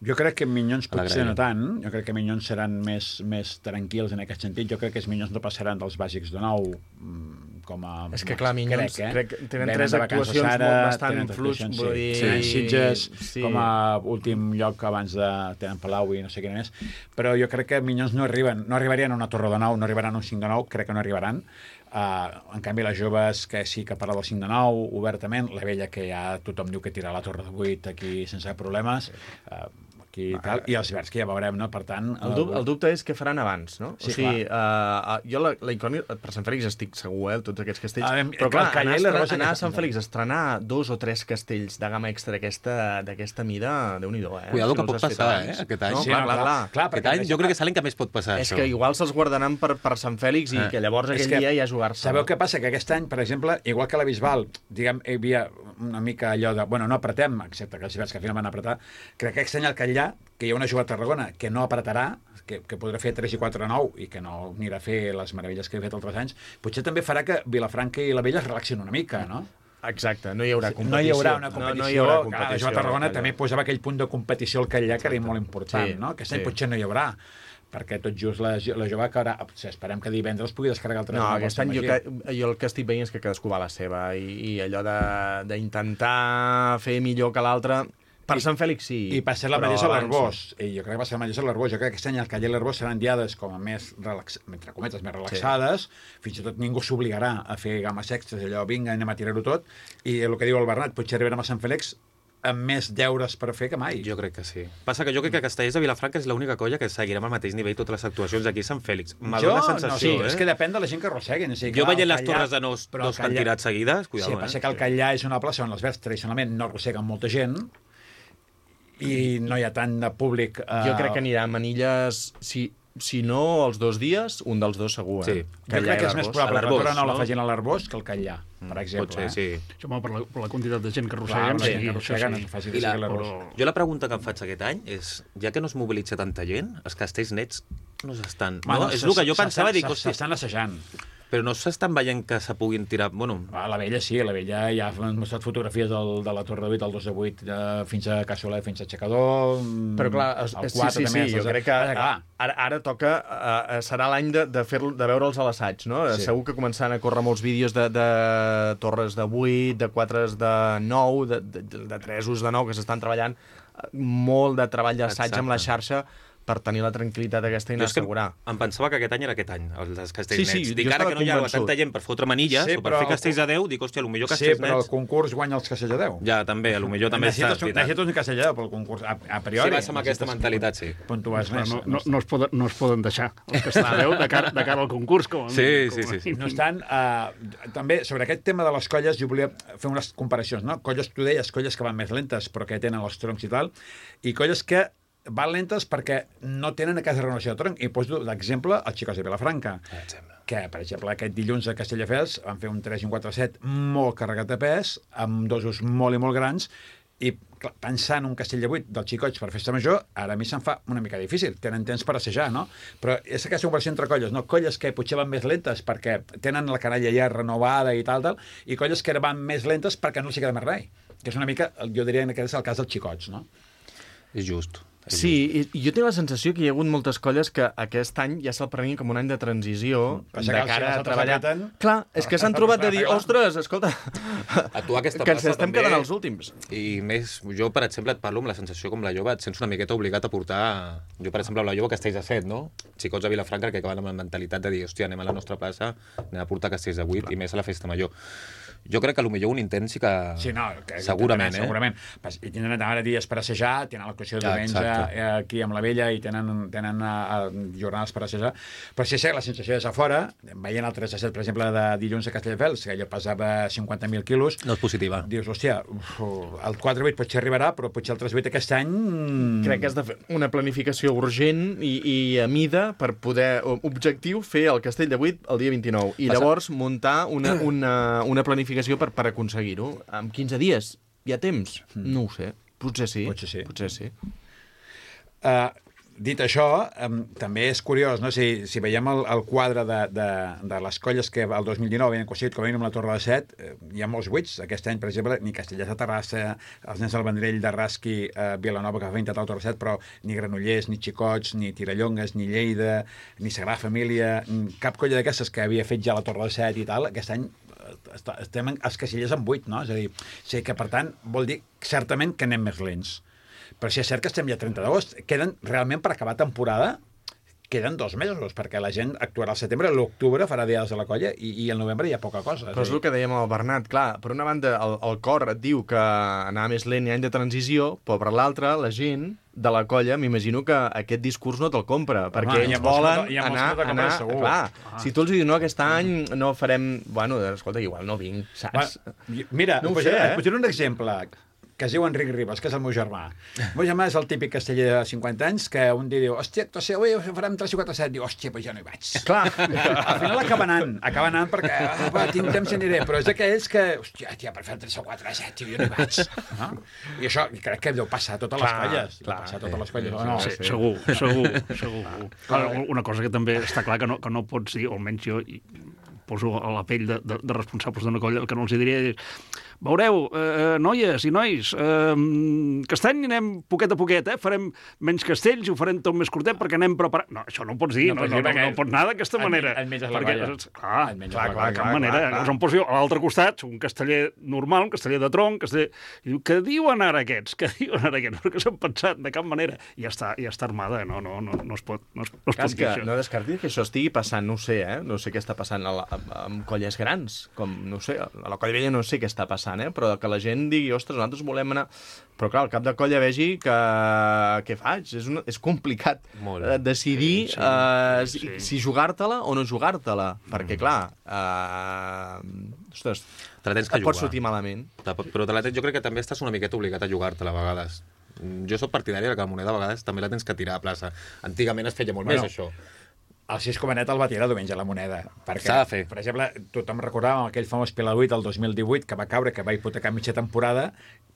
Jo crec que Minyons A la potser grella. no tant. Jo crec que Minyons seran més, més tranquils en aquest sentit. Jo crec que els Minyons no passaran dels bàsics de nou mm, com a... És que, clar, Minyons, crec, eh? crec que tenen Venen tres de vacances actuacions ara, molt bastant tenen tres fluix, actuacions, vull sí. dir- Tenen Sitges Sí. com a últim lloc abans de... Tenen Palau i no sé què més. Però jo crec que Minyons no arriben, no arribarien a una torre de nou, no arribaran a un cinc de nou, crec que no arribaran. Uh, en canvi, les joves que sí que parla del cinc de nou, obertament, la vella que ja tothom diu que tira la torre de vuit aquí sense problemes, uh, aquí i tal, i els verds que ja veurem, no? Per tant... El, dub, el dubte és què faran abans, no? Sí, o sigui, uh, jo la, la incògnita, per Sant Fèlix estic segur, eh, tots aquests castells, Ah, però clar, el Callà anar, i la a, Rosa anar a que- Sant Fèlix a estrenar dos o tres castells de gamma extra d'aquesta d'aquesta mida, Déu-n'hi-do, eh? Cuidado Si que no pot els has fet passar, abans. eh, aquest any. No, Sí, clar, no, clar, clar. clar. Clar, Aquest perquè any jo crec que és l'any que més pot passar, És això. que igual se'ls guardaran per, per Sant Fèlix i Eh. que llavors És aquell que dia ja jugar-se. Sabeu què passa? Que aquest any, per exemple, igual que la Bisbal, diguem, hi havia una mica allò de... Bueno, no apretem, excepte que els hiverns que al final van apretar, crec que aquest any al Catllà, que hi ha una jove a Tarragona que no apretarà, que, que podrà fer tres i quatre nou i que no anirà a fer les meravelles que he fet altres anys, potser també farà que Vilafranca i la Vella es relaxin una mica, no? Exacte, no hi haurà competició. No hi haurà una competició. No, no hi haurà Clar, competició. la jove a Tarragona Callà. també posava aquell punt de competició al Catllà que era molt important, Sí, no? Aquest any sí. potser no hi haurà, perquè tot just la, la jove que ara, esperem que divendres pugui descarregar el tres No, nou aquest al any jo, Sant que, jo el que estic veient és que cadascú va a la seva i, i allò de- d'intentar fer millor que l'altre... Per Sant Fèlix sí. I per ser la però mateixa abans l'Arbós. I jo crec que va ser la mateixa l'Arbós. Jo crec que aquest any el Catllà i l'Arbós seran diades com a més, relax... entre cometes, més relaxades. Sí. Fins i tot ningú s'obligarà a fer games extres, allò, vinga, anem a tirar-ho tot. I el que diu el Bernat, potser arribarem a Sant Fèlix amb més deures per fer que mai. Jo crec que sí. Passa que jo crec que Castellers de Vilafranca és l'única colla que seguirem al mateix nivell totes les actuacions aquí a Sant Fèlix. M'ha Jo, dóna no, sensació, sí, eh? és que depèn de la gent que arrosseguin. O sigui, Jo clar, veient el les Catllà- torres de nos, però el dos Catllà- cantidats seguides, cuidado, sí, passa eh? que el Catllà és una plaça on els verds tradicionalment no arrosseguen molta gent i no hi ha tant de públic... Eh... Jo crec que anirà a Manilles, si, si no els dos dies, un dels dos segur, eh? Sí. Jo crec que és més probable que la Torre no la no? facin a l'Arbós que al Catllà, per exemple. Pot ser, eh? sí. Això, home, per, la, per la quantitat de gent que Clar, arrosseguen, sí, sí, que això arrosseguen, sí. és fàcil I que la, sigui l'Arbós. però- jo la pregunta que em faig aquest any és, ja que no es mobilitza tanta gent, els castells nets no s'estan... Bueno, no, és el que jo pensava, dic, hòstia, s'estan assajant. però no s'estan veient que se puguin tirar... Bueno, A la Vella sí, a la Vella ja han mostrat fotografies del, de la Torre de vuit, del dos de vuit, eh, fins a Cassolet, fins a Aixecador... mm, Però clar, es, el sí, quatre sí, també, sí, jo els- crec que Ara, clar, ara, ara toca, uh, serà l'any de, de, fer, de veure'ls a l'assaig, no? Sí. Sí. Segur que començaran a córrer molts vídeos de, de torres de vuit, de quatres de nou, de, de, de tresos de nou, que s'estan treballant eh, molt de treball d'assaig Exacte. amb la xarxa per tenir la tranquil·litat aquesta i jo anar és que assegurar. em pensava que aquest any era aquest any, els castells Sí, sí, nets. jo Dic, ara estava que no hi ha convençut. tanta gent per fotre manilles Sí, o per però- fer castells a deu, dic, hòstia, potser sí, castells però el nets... concurs guanya els castells a deu. Ja, també, potser també està... Necessites, un- necessites un castell a deu pel concurs, a, a priori. Si vas amb aquesta necessites mentalitat, sí. Puntuars Clar, més. no, no, no, es poden, no es poden deixar els castells de Déu de cara, de cara al concurs, com a Sí, mínim, sí, com a sí, sí. mínim. No estan, uh, també sobre aquest tema de les colles jo volia fer unes comparacions, no? Colles, tu deies, colles que van més lentes però que tenen els troncs i tal, i colles que van lentes perquè no tenen aquesta renovació de tronc. I poso l'exemple els Xicos de Vilafranca, que, per exemple, aquest dilluns a Castelldefels van fer un tres i un quatre set molt carregat de pes, amb dosos molt i molt grans, i clar, pensant un castell de vuit dels xicots per festa major, ara a mi se'm fa una mica difícil. Tenen temps per assajar, no? Però és aquesta comparació entre colles, no? Colles que potser van més lentes perquè tenen la canalla ja renovada i tal, tal, i colles que van més lentes perquè no els hi queda més res. Que és una mica, jo diria que és el cas dels xicots, no? És just. És Sí, i, i jo tinc la sensació que hi ha hagut moltes colles que aquest any ja se'l prenien com un any de transició, Passa de que els cara a altres treballar. apreten. Clar, és que s'han trobat de dir, ostres, escolta, A tu aquesta que ens plaça estem també- quedant els últims. I més, jo, per exemple, et parlo amb la sensació com la jove, et sents una miqueta obligat a portar... Jo, per exemple, amb la jove castells de set, no? Xicots de Vilafranca que acaben amb la mentalitat de dir, hòstia, anem a la nostra plaça, anem a portar castells de vuit, i més a la festa major. Jo crec que potser un intent sí que... Sí, no, que, segurament, eh? Segurament. Pas- I tenen ara dies per assajar, tenen l'actuació de Ja, diumenge exacte. eh, aquí amb la Vella i tenen, tenen uh, jornades per assajar. Però si és cert, la sensació des de fora, veient el tres a set, per exemple, de dilluns a Castelldefels, que allò pesava cinquanta mil quilos, No és positiva. dius, hòstia, uf, el quatre a vuit potser arribarà, però potser el tres a vuit aquest any... Crec que has de fer una planificació urgent i, i a mida per poder, objectiu, fer el Castell de vuit el dia vint-i-nou. I Passa- llavors muntar una, una, una planificació per, per aconseguir-ho. En quinze dies hi ha temps? No ho sé. Potser sí. Potser sí. Potser sí. Uh, dit això, um, també és curiós, no? si, si veiem el, el quadre de, de, de les colles que el dos mil dinou havien aconseguit com a mínim la Torre de Set, eh, hi ha molts buits. Aquest any, per exemple, ni Castellers de Terrassa, els nens del Vendrell de Rasqui, eh, Vilanova, que va intentar la Torre de Set, però ni Granollers, ni Xicots, ni Tirallongues, ni Lleida, ni Sagrada Família, cap colla d'aquestes que havia fet ja la Torre de Set i tal, aquest any eh, estem en, els Castellers en vuit, no? És a dir, sí que, per tant, vol dir certament que anem més lents. Però si és cert que estem ja a trenta d'agost, queden realment per acabar temporada queden dos mesos, perquè la gent actuarà al setembre, l'octubre farà dies a la colla i, i al novembre hi ha poca cosa. Però és el que dèiem al Bernat, clar, per una banda el, el cor et diu que anar més lent i any de transició, però per l'altra la gent de la colla, m'imagino que aquest discurs no te'l compra, Home, perquè hi ha ells molts volen que no- hi ha molts anar... que no te'l anar compren, segur. clar, Ah. si tu els dius, no, aquest any no farem... Bueno, escolta, igual no vinc, saps? Va, mira, No ho no posaré, sé, eh? et posaré un exemple que es diu Enric Ribas, que és el meu germà. El meu germà és el típic casteller de cinquanta anys que un dia diu, hòstia, actuació, avui farem tres i quatre set. Diu, hòstia, però jo no hi vaig. Clar. Al final acaba anant, acaba anant perquè ah, va, tinc temps i aniré, però és d'aquells que, hòstia, tia, per fer tres o quatre set, tio, jo no hi vaig. No? I això crec que deu passar a totes les Clar, colles. Deu clar, passar a sí, totes les colles, sí, o no? Sí, segur, segur, segur. Clar, una cosa que també està clar que no, que no pots dir, o almenys jo i poso a la pell de, de, de responsables d'una colla, el que no els diria és veureu, eh, noies i nois, eh, que aquest any anem poquet a poquet, eh? Farem menys castells i ho farem tot més curtet perquè anem preparant... No, això no ho pots dir, no, no, no, no, no pots anar d'aquesta manera. Et menges la perquè, colla. clar, Et menges clar, la clar, colla. de cap clar, manera. clar, clar. Llavors em poso jo a l'altre costat, soc un casteller normal, un casteller de tronc, casteller... I diu, què diuen ara aquests? Què diuen ara aquests? Perquè s'han pensat, de cap manera. I ja està, ja està armada, no, no, no, no es pot, no es, no es Clar, pot és dir que això. no descartis que això estigui passant, no ho sé, eh? No sé què està passant a la, a, amb colles grans, com, no sé, a la colla vella no sé què està passant, eh? Però que la gent digui, ostres, nosaltres volem anar... Però clar, el cap de colla vegi que... Què faig? És, una... és complicat Molt. eh, decidir Sí, sí, eh, sí. si, si jugar-te-la o no jugar-te-la. Perquè, clar, eh, ostres, Te la tens que et pots jugar. sortir malament. Te pot- Però te la tens, jo crec que també estàs una miqueta obligat a jugar-te-la a vegades. Mm, Jo soc partidari que la moneda a vegades també la tens que tirar a plaça. Antigament es feia molt Bueno, més, això. El Sis Comanet el va tirar diumenge a la moneda. Perquè, S'ha de fer. per exemple, tothom recordava aquell famós Pilar vuit el dos mil divuit que va caure, que va hipotecar mitja temporada,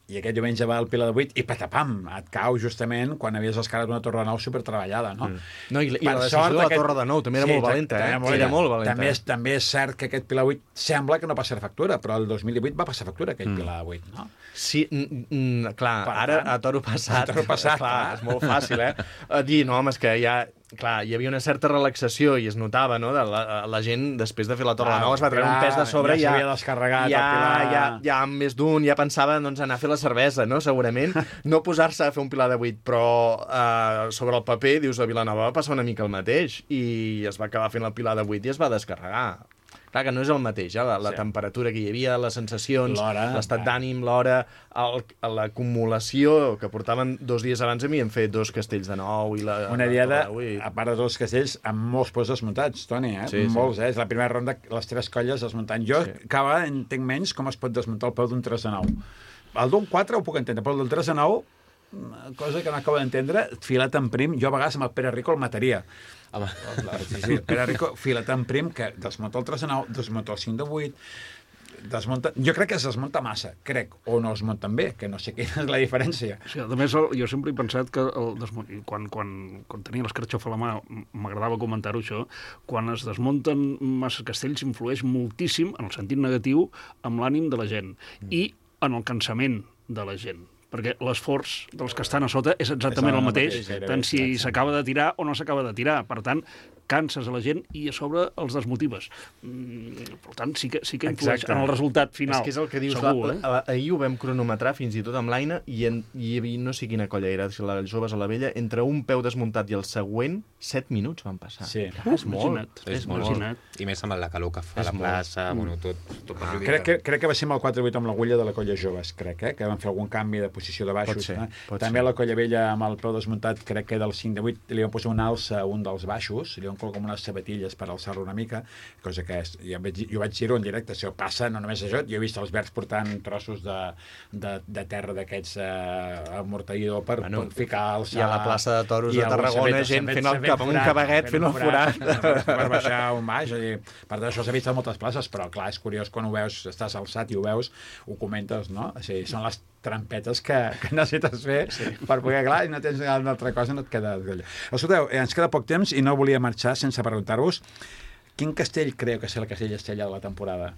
i aquest diumenge va al Pilar vuit i patapam, et cau justament quan havies escalat una torre de nou supertreballada, no? Mm. No, i, i la decisió de la Torre de Nou també era molt valenta, eh? També, Era molt valenta. També és, també és cert que aquest Pilar vuit sembla que no passarà factura, però el dos mil divuit va passar factura, aquell Mm. Pilar vuit, no? Sí, mm, mm, clar, Per ara tant, a toro passat, a toro passat, clar, clar. és molt fàcil, eh? A dir, no, home, és que ja... Clar, hi havia una certa relaxació i es notava, no?, de la, la gent, després de fer la Torre Clar, de Nou, es va treure un clar, pes de sobre ja i ja... s'havia descarregat ja, el Pilar. ja, ja, amb més d'un, ja pensava, doncs, anar a fer la cervesa, no?, segurament. No posar-se a fer un Pilar de vuit, però eh, sobre el paper, dius, a Vilanova va passar una mica el mateix i es va acabar fent el Pilar de vuit i es va descarregar. Clar que no és el mateix, eh? la, la Sí. temperatura que hi havia, les sensacions, L'hora, l'estat clar. d'ànim, l'hora, el- l'acumulació, que portaven dos dies abans a mi, hem fet dos castells de nou i la... Una la diada, Torre de Vuit. a part de dos castells, amb molts pols desmuntats, Toni, eh? Sí, sí. Molts, eh? És la primera ronda, les tres colles desmuntant. Jo Sí. sí. cada vegada entenc menys com es pot desmuntar el peu d'un tres de nou. El d'un quatre ho puc entendre, però el del tres de nou, una cosa que no acabo d'entendre, filat en prim, jo a vegades amb el Pere Rico el mataria. Home, Sí, sí, el Pere Rico, filat en prim, que desmunta el tres de nou, desmunta el cinc de vuit, desmunta... Jo crec que es desmunta massa, crec, o no es munten bé, que no sé quina és la diferència. Sí, a més, el, jo sempre he pensat que el desmunt... quan, quan, quan tenia l'escarxofa a la mà, m'agradava comentar-ho això, quan es desmunten massa castells influeix moltíssim, en el sentit negatiu, amb l'ànim de la gent i en el cansament de la gent, perquè l'esforç dels que estan a sota és exactament És el el mateix, mateix, gairebé, tant si exacte. s'acaba de tirar o no s'acaba de tirar. Per tant, canses a la gent i a sobre els desmotives. Mm, per tant, sí que, sí que influeix Exacte. en el resultat final. És que és el que dius, segur, la, eh? la, ahir ho vam cronometrar fins i tot amb l'Aina i, en, i hi havia, no sé quina colla era, si la joves o la vella, entre un peu desmuntat i el següent, set minuts van passar. Sí. Clar, és molt. Imagina't, és és molt. imagina't. I més amb la calor que fa És a la molt. plaça, bueno, tot, tot perjudica. Crec que, crec que va ser amb el quatre vuit amb l'agulla de la colla joves, crec, eh? Que van fer algun canvi de posició de baixos. Pot ser, eh? pot També ser. la colla vella amb el peu desmuntat, crec que del cinc de vuit li van posar un alça a un dels baixos, li van col·locar com unes sabatilles per alçar-lo una mica, cosa que és, jo, vaig, jo vaig dir-ho en directe, això passa, no només això, jo he vist els verds portant trossos de, de, de terra d'aquests eh, amorteïdor per, Bueno, per ficar, alçar... i a la plaça de Toros i de algun Tarragona, s'ha gent fet- fent el s'ha fet cap amb un forat, cabaguet fent el forat. per baixar un baix. És a dir, per tant, això s'ha vist a moltes places, però clar, és curiós quan ho veus, estàs alçat i ho veus, ho comentes, no? O sigui, són les trampetes que, que necessites fer sí. per poder, clar, i no tens una altra cosa, no et queda... Escolteu, ens queda poc temps i no volia marxar sense preguntar-vos quin castell creu que serà el castell estrella de la temporada?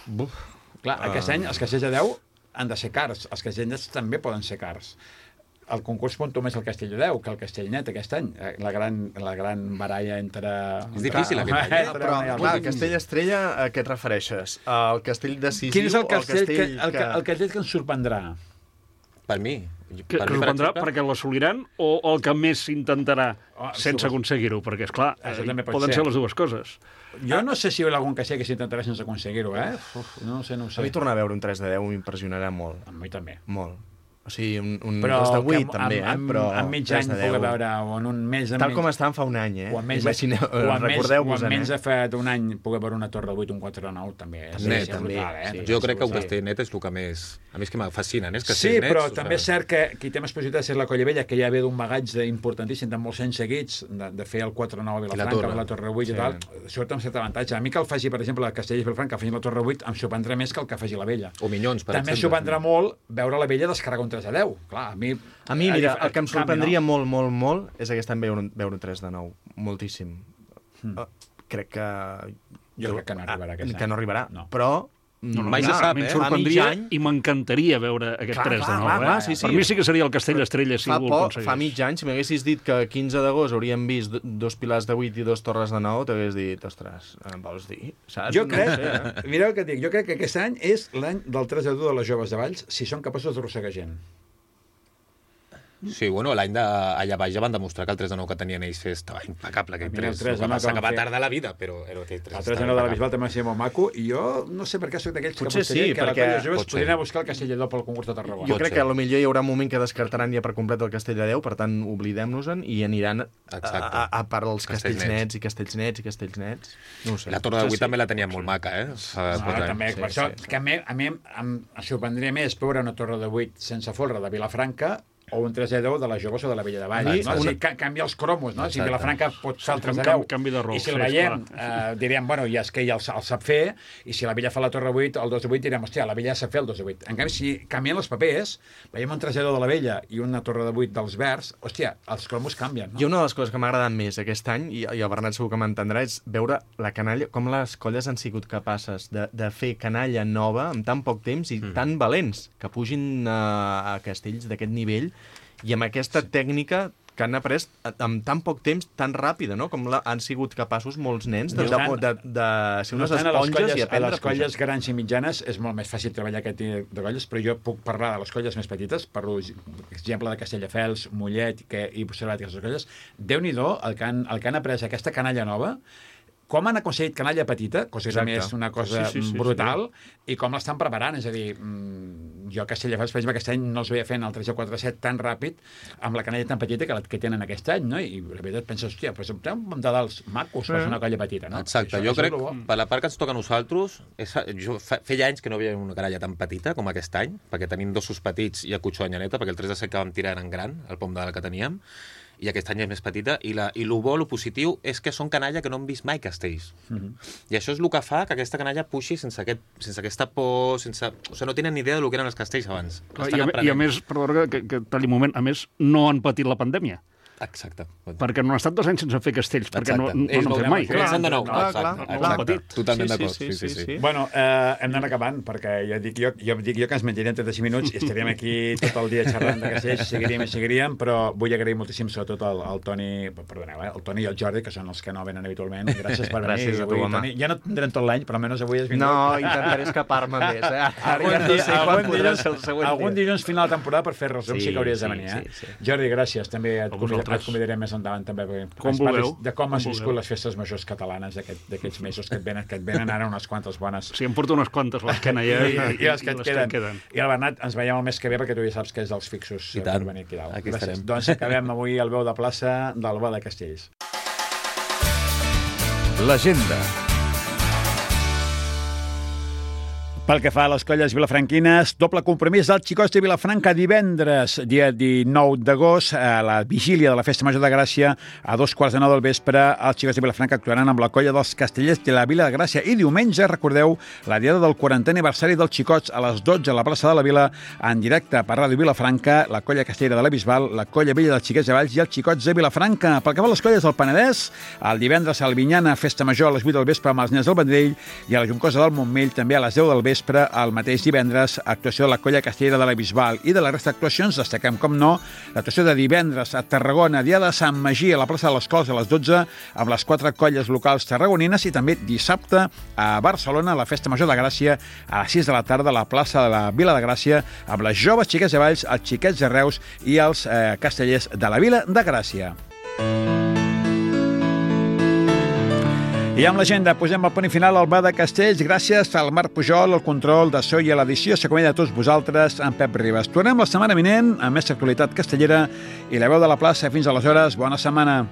Buf. Clar, aquest Ah. any els castells de deu han de ser cars, els castells nets també poden ser cars. El concurs puntua més el castell de deu que el castell net aquest any. La gran, la gran baralla entre... És difícil, entre- aquest any, eh? entre Però, una i clar, l'altra. Castell Estrella, a què et refereixes? Al castell decisiu Quin és el o al castell, que, castell el, que... el castell que ens sorprendrà? Per mi, Que, que us prendrà perquè l'assoliran o el que més s'intentarà Oh, sense aconseguir-ho? Perquè, esclar, Això eh, també pot poden ser. ser les dues coses. Jo no sé si hi haurà algun castell que s'intentarà sense aconseguir-ho, eh? Uf, no ho sé, no ho A sé. mi tornar a veure un tres de deu m'impressionarà molt. A mi també. Molt. O sigui, un, un Però dos de que vuit amb- també, eh? amb- Però amb mig tres any de deu. poder veure, o en un mes... Tal com estaven fa un any, eh? O en menys, Imagineu, o en menys, recordeu-vos, o en menys eh? de fa un any poder veure una torre de vuit, un quatre de nou, també és, Net, és també, brutal, eh? sí. Jo crec que un Sí. castell net és el que més... A més que me fascinen, eh? Els Sí, castells nets, però o també és sigui, cert que qui té més possibilitats és la Colla Vella, que ja ve d'un bagatge importantíssim de molts anys seguits, de, de fer el quatre nou a Vilafranca, torre. amb la Torre vuit Sí. i tal, surt amb cert avantatge. A mi que el faci, per exemple, la Castellers Vilafranca, que faci la Torre vuit, em sorprendrà més que el que faci la Vella. O Minyons, per També exemple. sorprendrà molt veure la Vella descarregar un tres a deu. Clar, a mi... A mi, mira, a- el que em canvi, sorprendria no? molt, molt, molt és aquest any veure un, veure un tres de nou. Moltíssim. Hmm. Uh, crec que... Jo crec que no arribarà aquest Que any. no arribarà, No. però... No, mm, mai se clar, sap, A mi em eh? sorprendria Fa mig any- i m'encantaria veure aquest Clar, tres de clar, nou. clar, eh? clar, sí, sí. Per mi sí que seria el castell estrella si Fa, ho por, aconseguís. fa mig any, si m'haguessis dit que quinze d'agost hauríem vist do- dos pilars de vuit i dos torres de nou, t'hagués dit, ostres, em vols dir? Saps? Jo No crec, ho sé, eh? mira el que et dic, jo crec que aquest any és l'any del tres a dos de les joves de Valls, si són capaços d'arrossegar gent. Sí, bueno, l'any de... allà baix ja van demostrar que el tres de nou que tenien ells estava impecable, aquell Mira, el tres. tres El de que nou passa que que van va fer. tardar la vida, però era aquell tres. El tres a nou de la Bisbal també va ser molt maco, i jo no sé per què soc d'aquells que Potser apostaria sí, que la perquè- colla de joves pot ser. podrien anar a buscar el castell de Dó pel concurs de Tarragona. Jo Pot crec ser. que potser hi haurà un moment que descartaran ja per complet el castell de Déu, per tant, oblidem-nos-en i aniran a, Exacte. a, a part els Castells castells nets. nets i castells nets i castells nets. No ho sé. La Torre de Sí, vuit sí. també la tenien molt maca, eh? Fa Ah, quatre anys. també, sí, per això, sí. que a mi, a mi em, em sorprendria més veure una torre de vuit sense folre de Vilafranca o un tres a deu de la Joves o de la Vella de Valls. A mi, No? O una- sigui, ca canvia els cromos, no? Si Exacte. Vilafranca pot fer el tres a Canvi- deu, canvi de rol, i si el sí, veiem, esclar. eh, diríem, bueno, ja és que ella el, sa- el sap fer, i si la Vella fa la torre vuit, el dos de vuit, direm, hòstia, la Vella sap fer el dos de vuit. En canvi, si canvien els papers, veiem un tres a deu de la Vella i una torre de vuit dels Verds, hòstia, els cromos canvien, no? I una de les coses que m'ha agradat més aquest any, i, i el Bernat segur que m'entendrà, és veure la canalla, com les colles han sigut capaces de, de fer canalla nova en tan poc temps i mm. tan valents, que pugin a, a castells d'aquest nivell i amb aquesta sí. tècnica que han après en tan poc temps, tan ràpida, no? Com la, han sigut capaços molts nens de, de, de, de ser No unes tant, a les esponges colles, i a aprendre les a pujar. colles grans i mitjanes és molt més fàcil treballar aquest tipus de colles, però jo puc parlar de les colles més petites, parlo, per exemple, de Castelldefels, Mollet que, i Puigcerdat i aquestes colles. Déu-n'hi-do el, que han, el que han après aquesta canalla nova, com han aconseguit canalla petita, cosa que també és Exacte. una cosa Sí, sí, sí, brutal, i com l'estan preparant. És a dir, mm, jo a Castelldefels, per exemple, aquest any no els veia fent el tres o quatre set tan ràpid, amb la canalla tan petita que, la, que tenen aquest any, no? I la veritat penses, hòstia, però té un munt de dals macos per ser una colla petita, no? Exacte, Això- jo això crec, és lo bo. per la part que ens toca a nosaltres, és, jo fa, feia anys que no veia una canalla tan petita com aquest any, perquè tenim dos petits i a Cutxó Anyaneta, perquè el tres de set que vam tirar eren gran, el pom de la que teníem, i aquest any és més petita, i, la, i el bo, el positiu, és que són canalla que no han vist mai castells. Mm -hmm. I això és el que fa que aquesta canalla puixi sense, aquest, sense aquesta por, sense... O sigui, no tenen ni idea del que eren els castells abans. Clar, Estan I a, I a aprenent. més, perdó, que, que talli un moment, a més, no han patit la pandèmia. Exacte. Perquè no han estat dos anys sense fer castells, perquè no, no, Ells no han fet mai. Comencen de nou. Clar, Exacte, clar, clar. exacte. Totalment Sí, sí, d'acord. sí, Sí, sí, sí, sí. sí. Bueno, eh, hem d'anar acabant, perquè ja dic jo, jo dic jo que ens menjarem trenta minuts i estaríem aquí tot el dia xerrant de castells, seguiríem i seguiríem, però vull agrair moltíssim sobretot al, al Toni, perdoneu, eh, el Toni i el Jordi, que són els que no venen habitualment. Gràcies per venir. Gràcies a tu, avui, home. Toni. Ja no tindrem tot l'any, però almenys avui has vingut. No, intentaré escapar-me més, eh? Ara Algun, ja no dia, sé quan algun, podrà dilluns, ser el següent algun dia. dilluns final de temporada per fer resum sí, Sí, sí que hauries sí, de venir, eh? sí, sí. Jordi, gràcies. També et, A convida, vosaltres. et convidaré més endavant també perquè Com ens parlis vulgueu, de com com has viscut vulgueu. les festes majors catalanes d'aquest- d'aquests mesos que et venen, que et venen ara unes quantes bones. Sí, em porto unes quantes, l'esquena ja, I, i, les que et queden. queden. I el Bernat, ens veiem el mes que ve perquè tu ja saps que és dels fixos I eh, tant. per venir aquí dalt. Aquí Gràcies. estarem. Doncs acabem avui el veu de plaça del Bo de Castells. L'agenda. Pel que fa a les colles vilafranquines, doble compromís dels xicots de Vilafranca divendres, dia dinou d'agost, a la vigília de la Festa Major de Gràcia, a dos quarts de nou del vespre, els xicots de Vilafranca actuaran amb la colla dels Castellers de la Vila de Gràcia. I diumenge, recordeu, la diada del quarantè aniversari dels xicots a les dotze a la plaça de la Vila, en directe per Ràdio Vilafranca, la colla castellera de la Bisbal, la colla vella dels xiquets de Valls i els xicots de Vilafranca. Pel que fa a les colles del Penedès, el divendres a Albinyana, Festa Major a les vuit del vespre amb els nens del Vendrell, i a la Juncosa del Montmell també a les deu del vespre vespre, el mateix divendres, actuació de la Colla Castellera de la Bisbal. I de la resta d'actuacions destaquem, com no, l'actuació de divendres a Tarragona, dia de Sant Magí, a la plaça de les Cols a les dotze, amb les quatre colles locals tarragonines, i també dissabte a Barcelona, a la Festa Major de Gràcia, a les sis de la tarda, a la plaça de la Vila de Gràcia, amb les joves xiquets de Valls, els xiquets de Reus i els eh, castellers de la Vila de Gràcia. I amb l'agenda posem el punt final al Bar de Castells. Gràcies al Marc Pujol, el control de so i a l'edició. S'acomiada de tots vosaltres, en Pep Ribas. Tornem la setmana vinent amb més actualitat castellera i la veu de la plaça. Fins aleshores, bona setmana.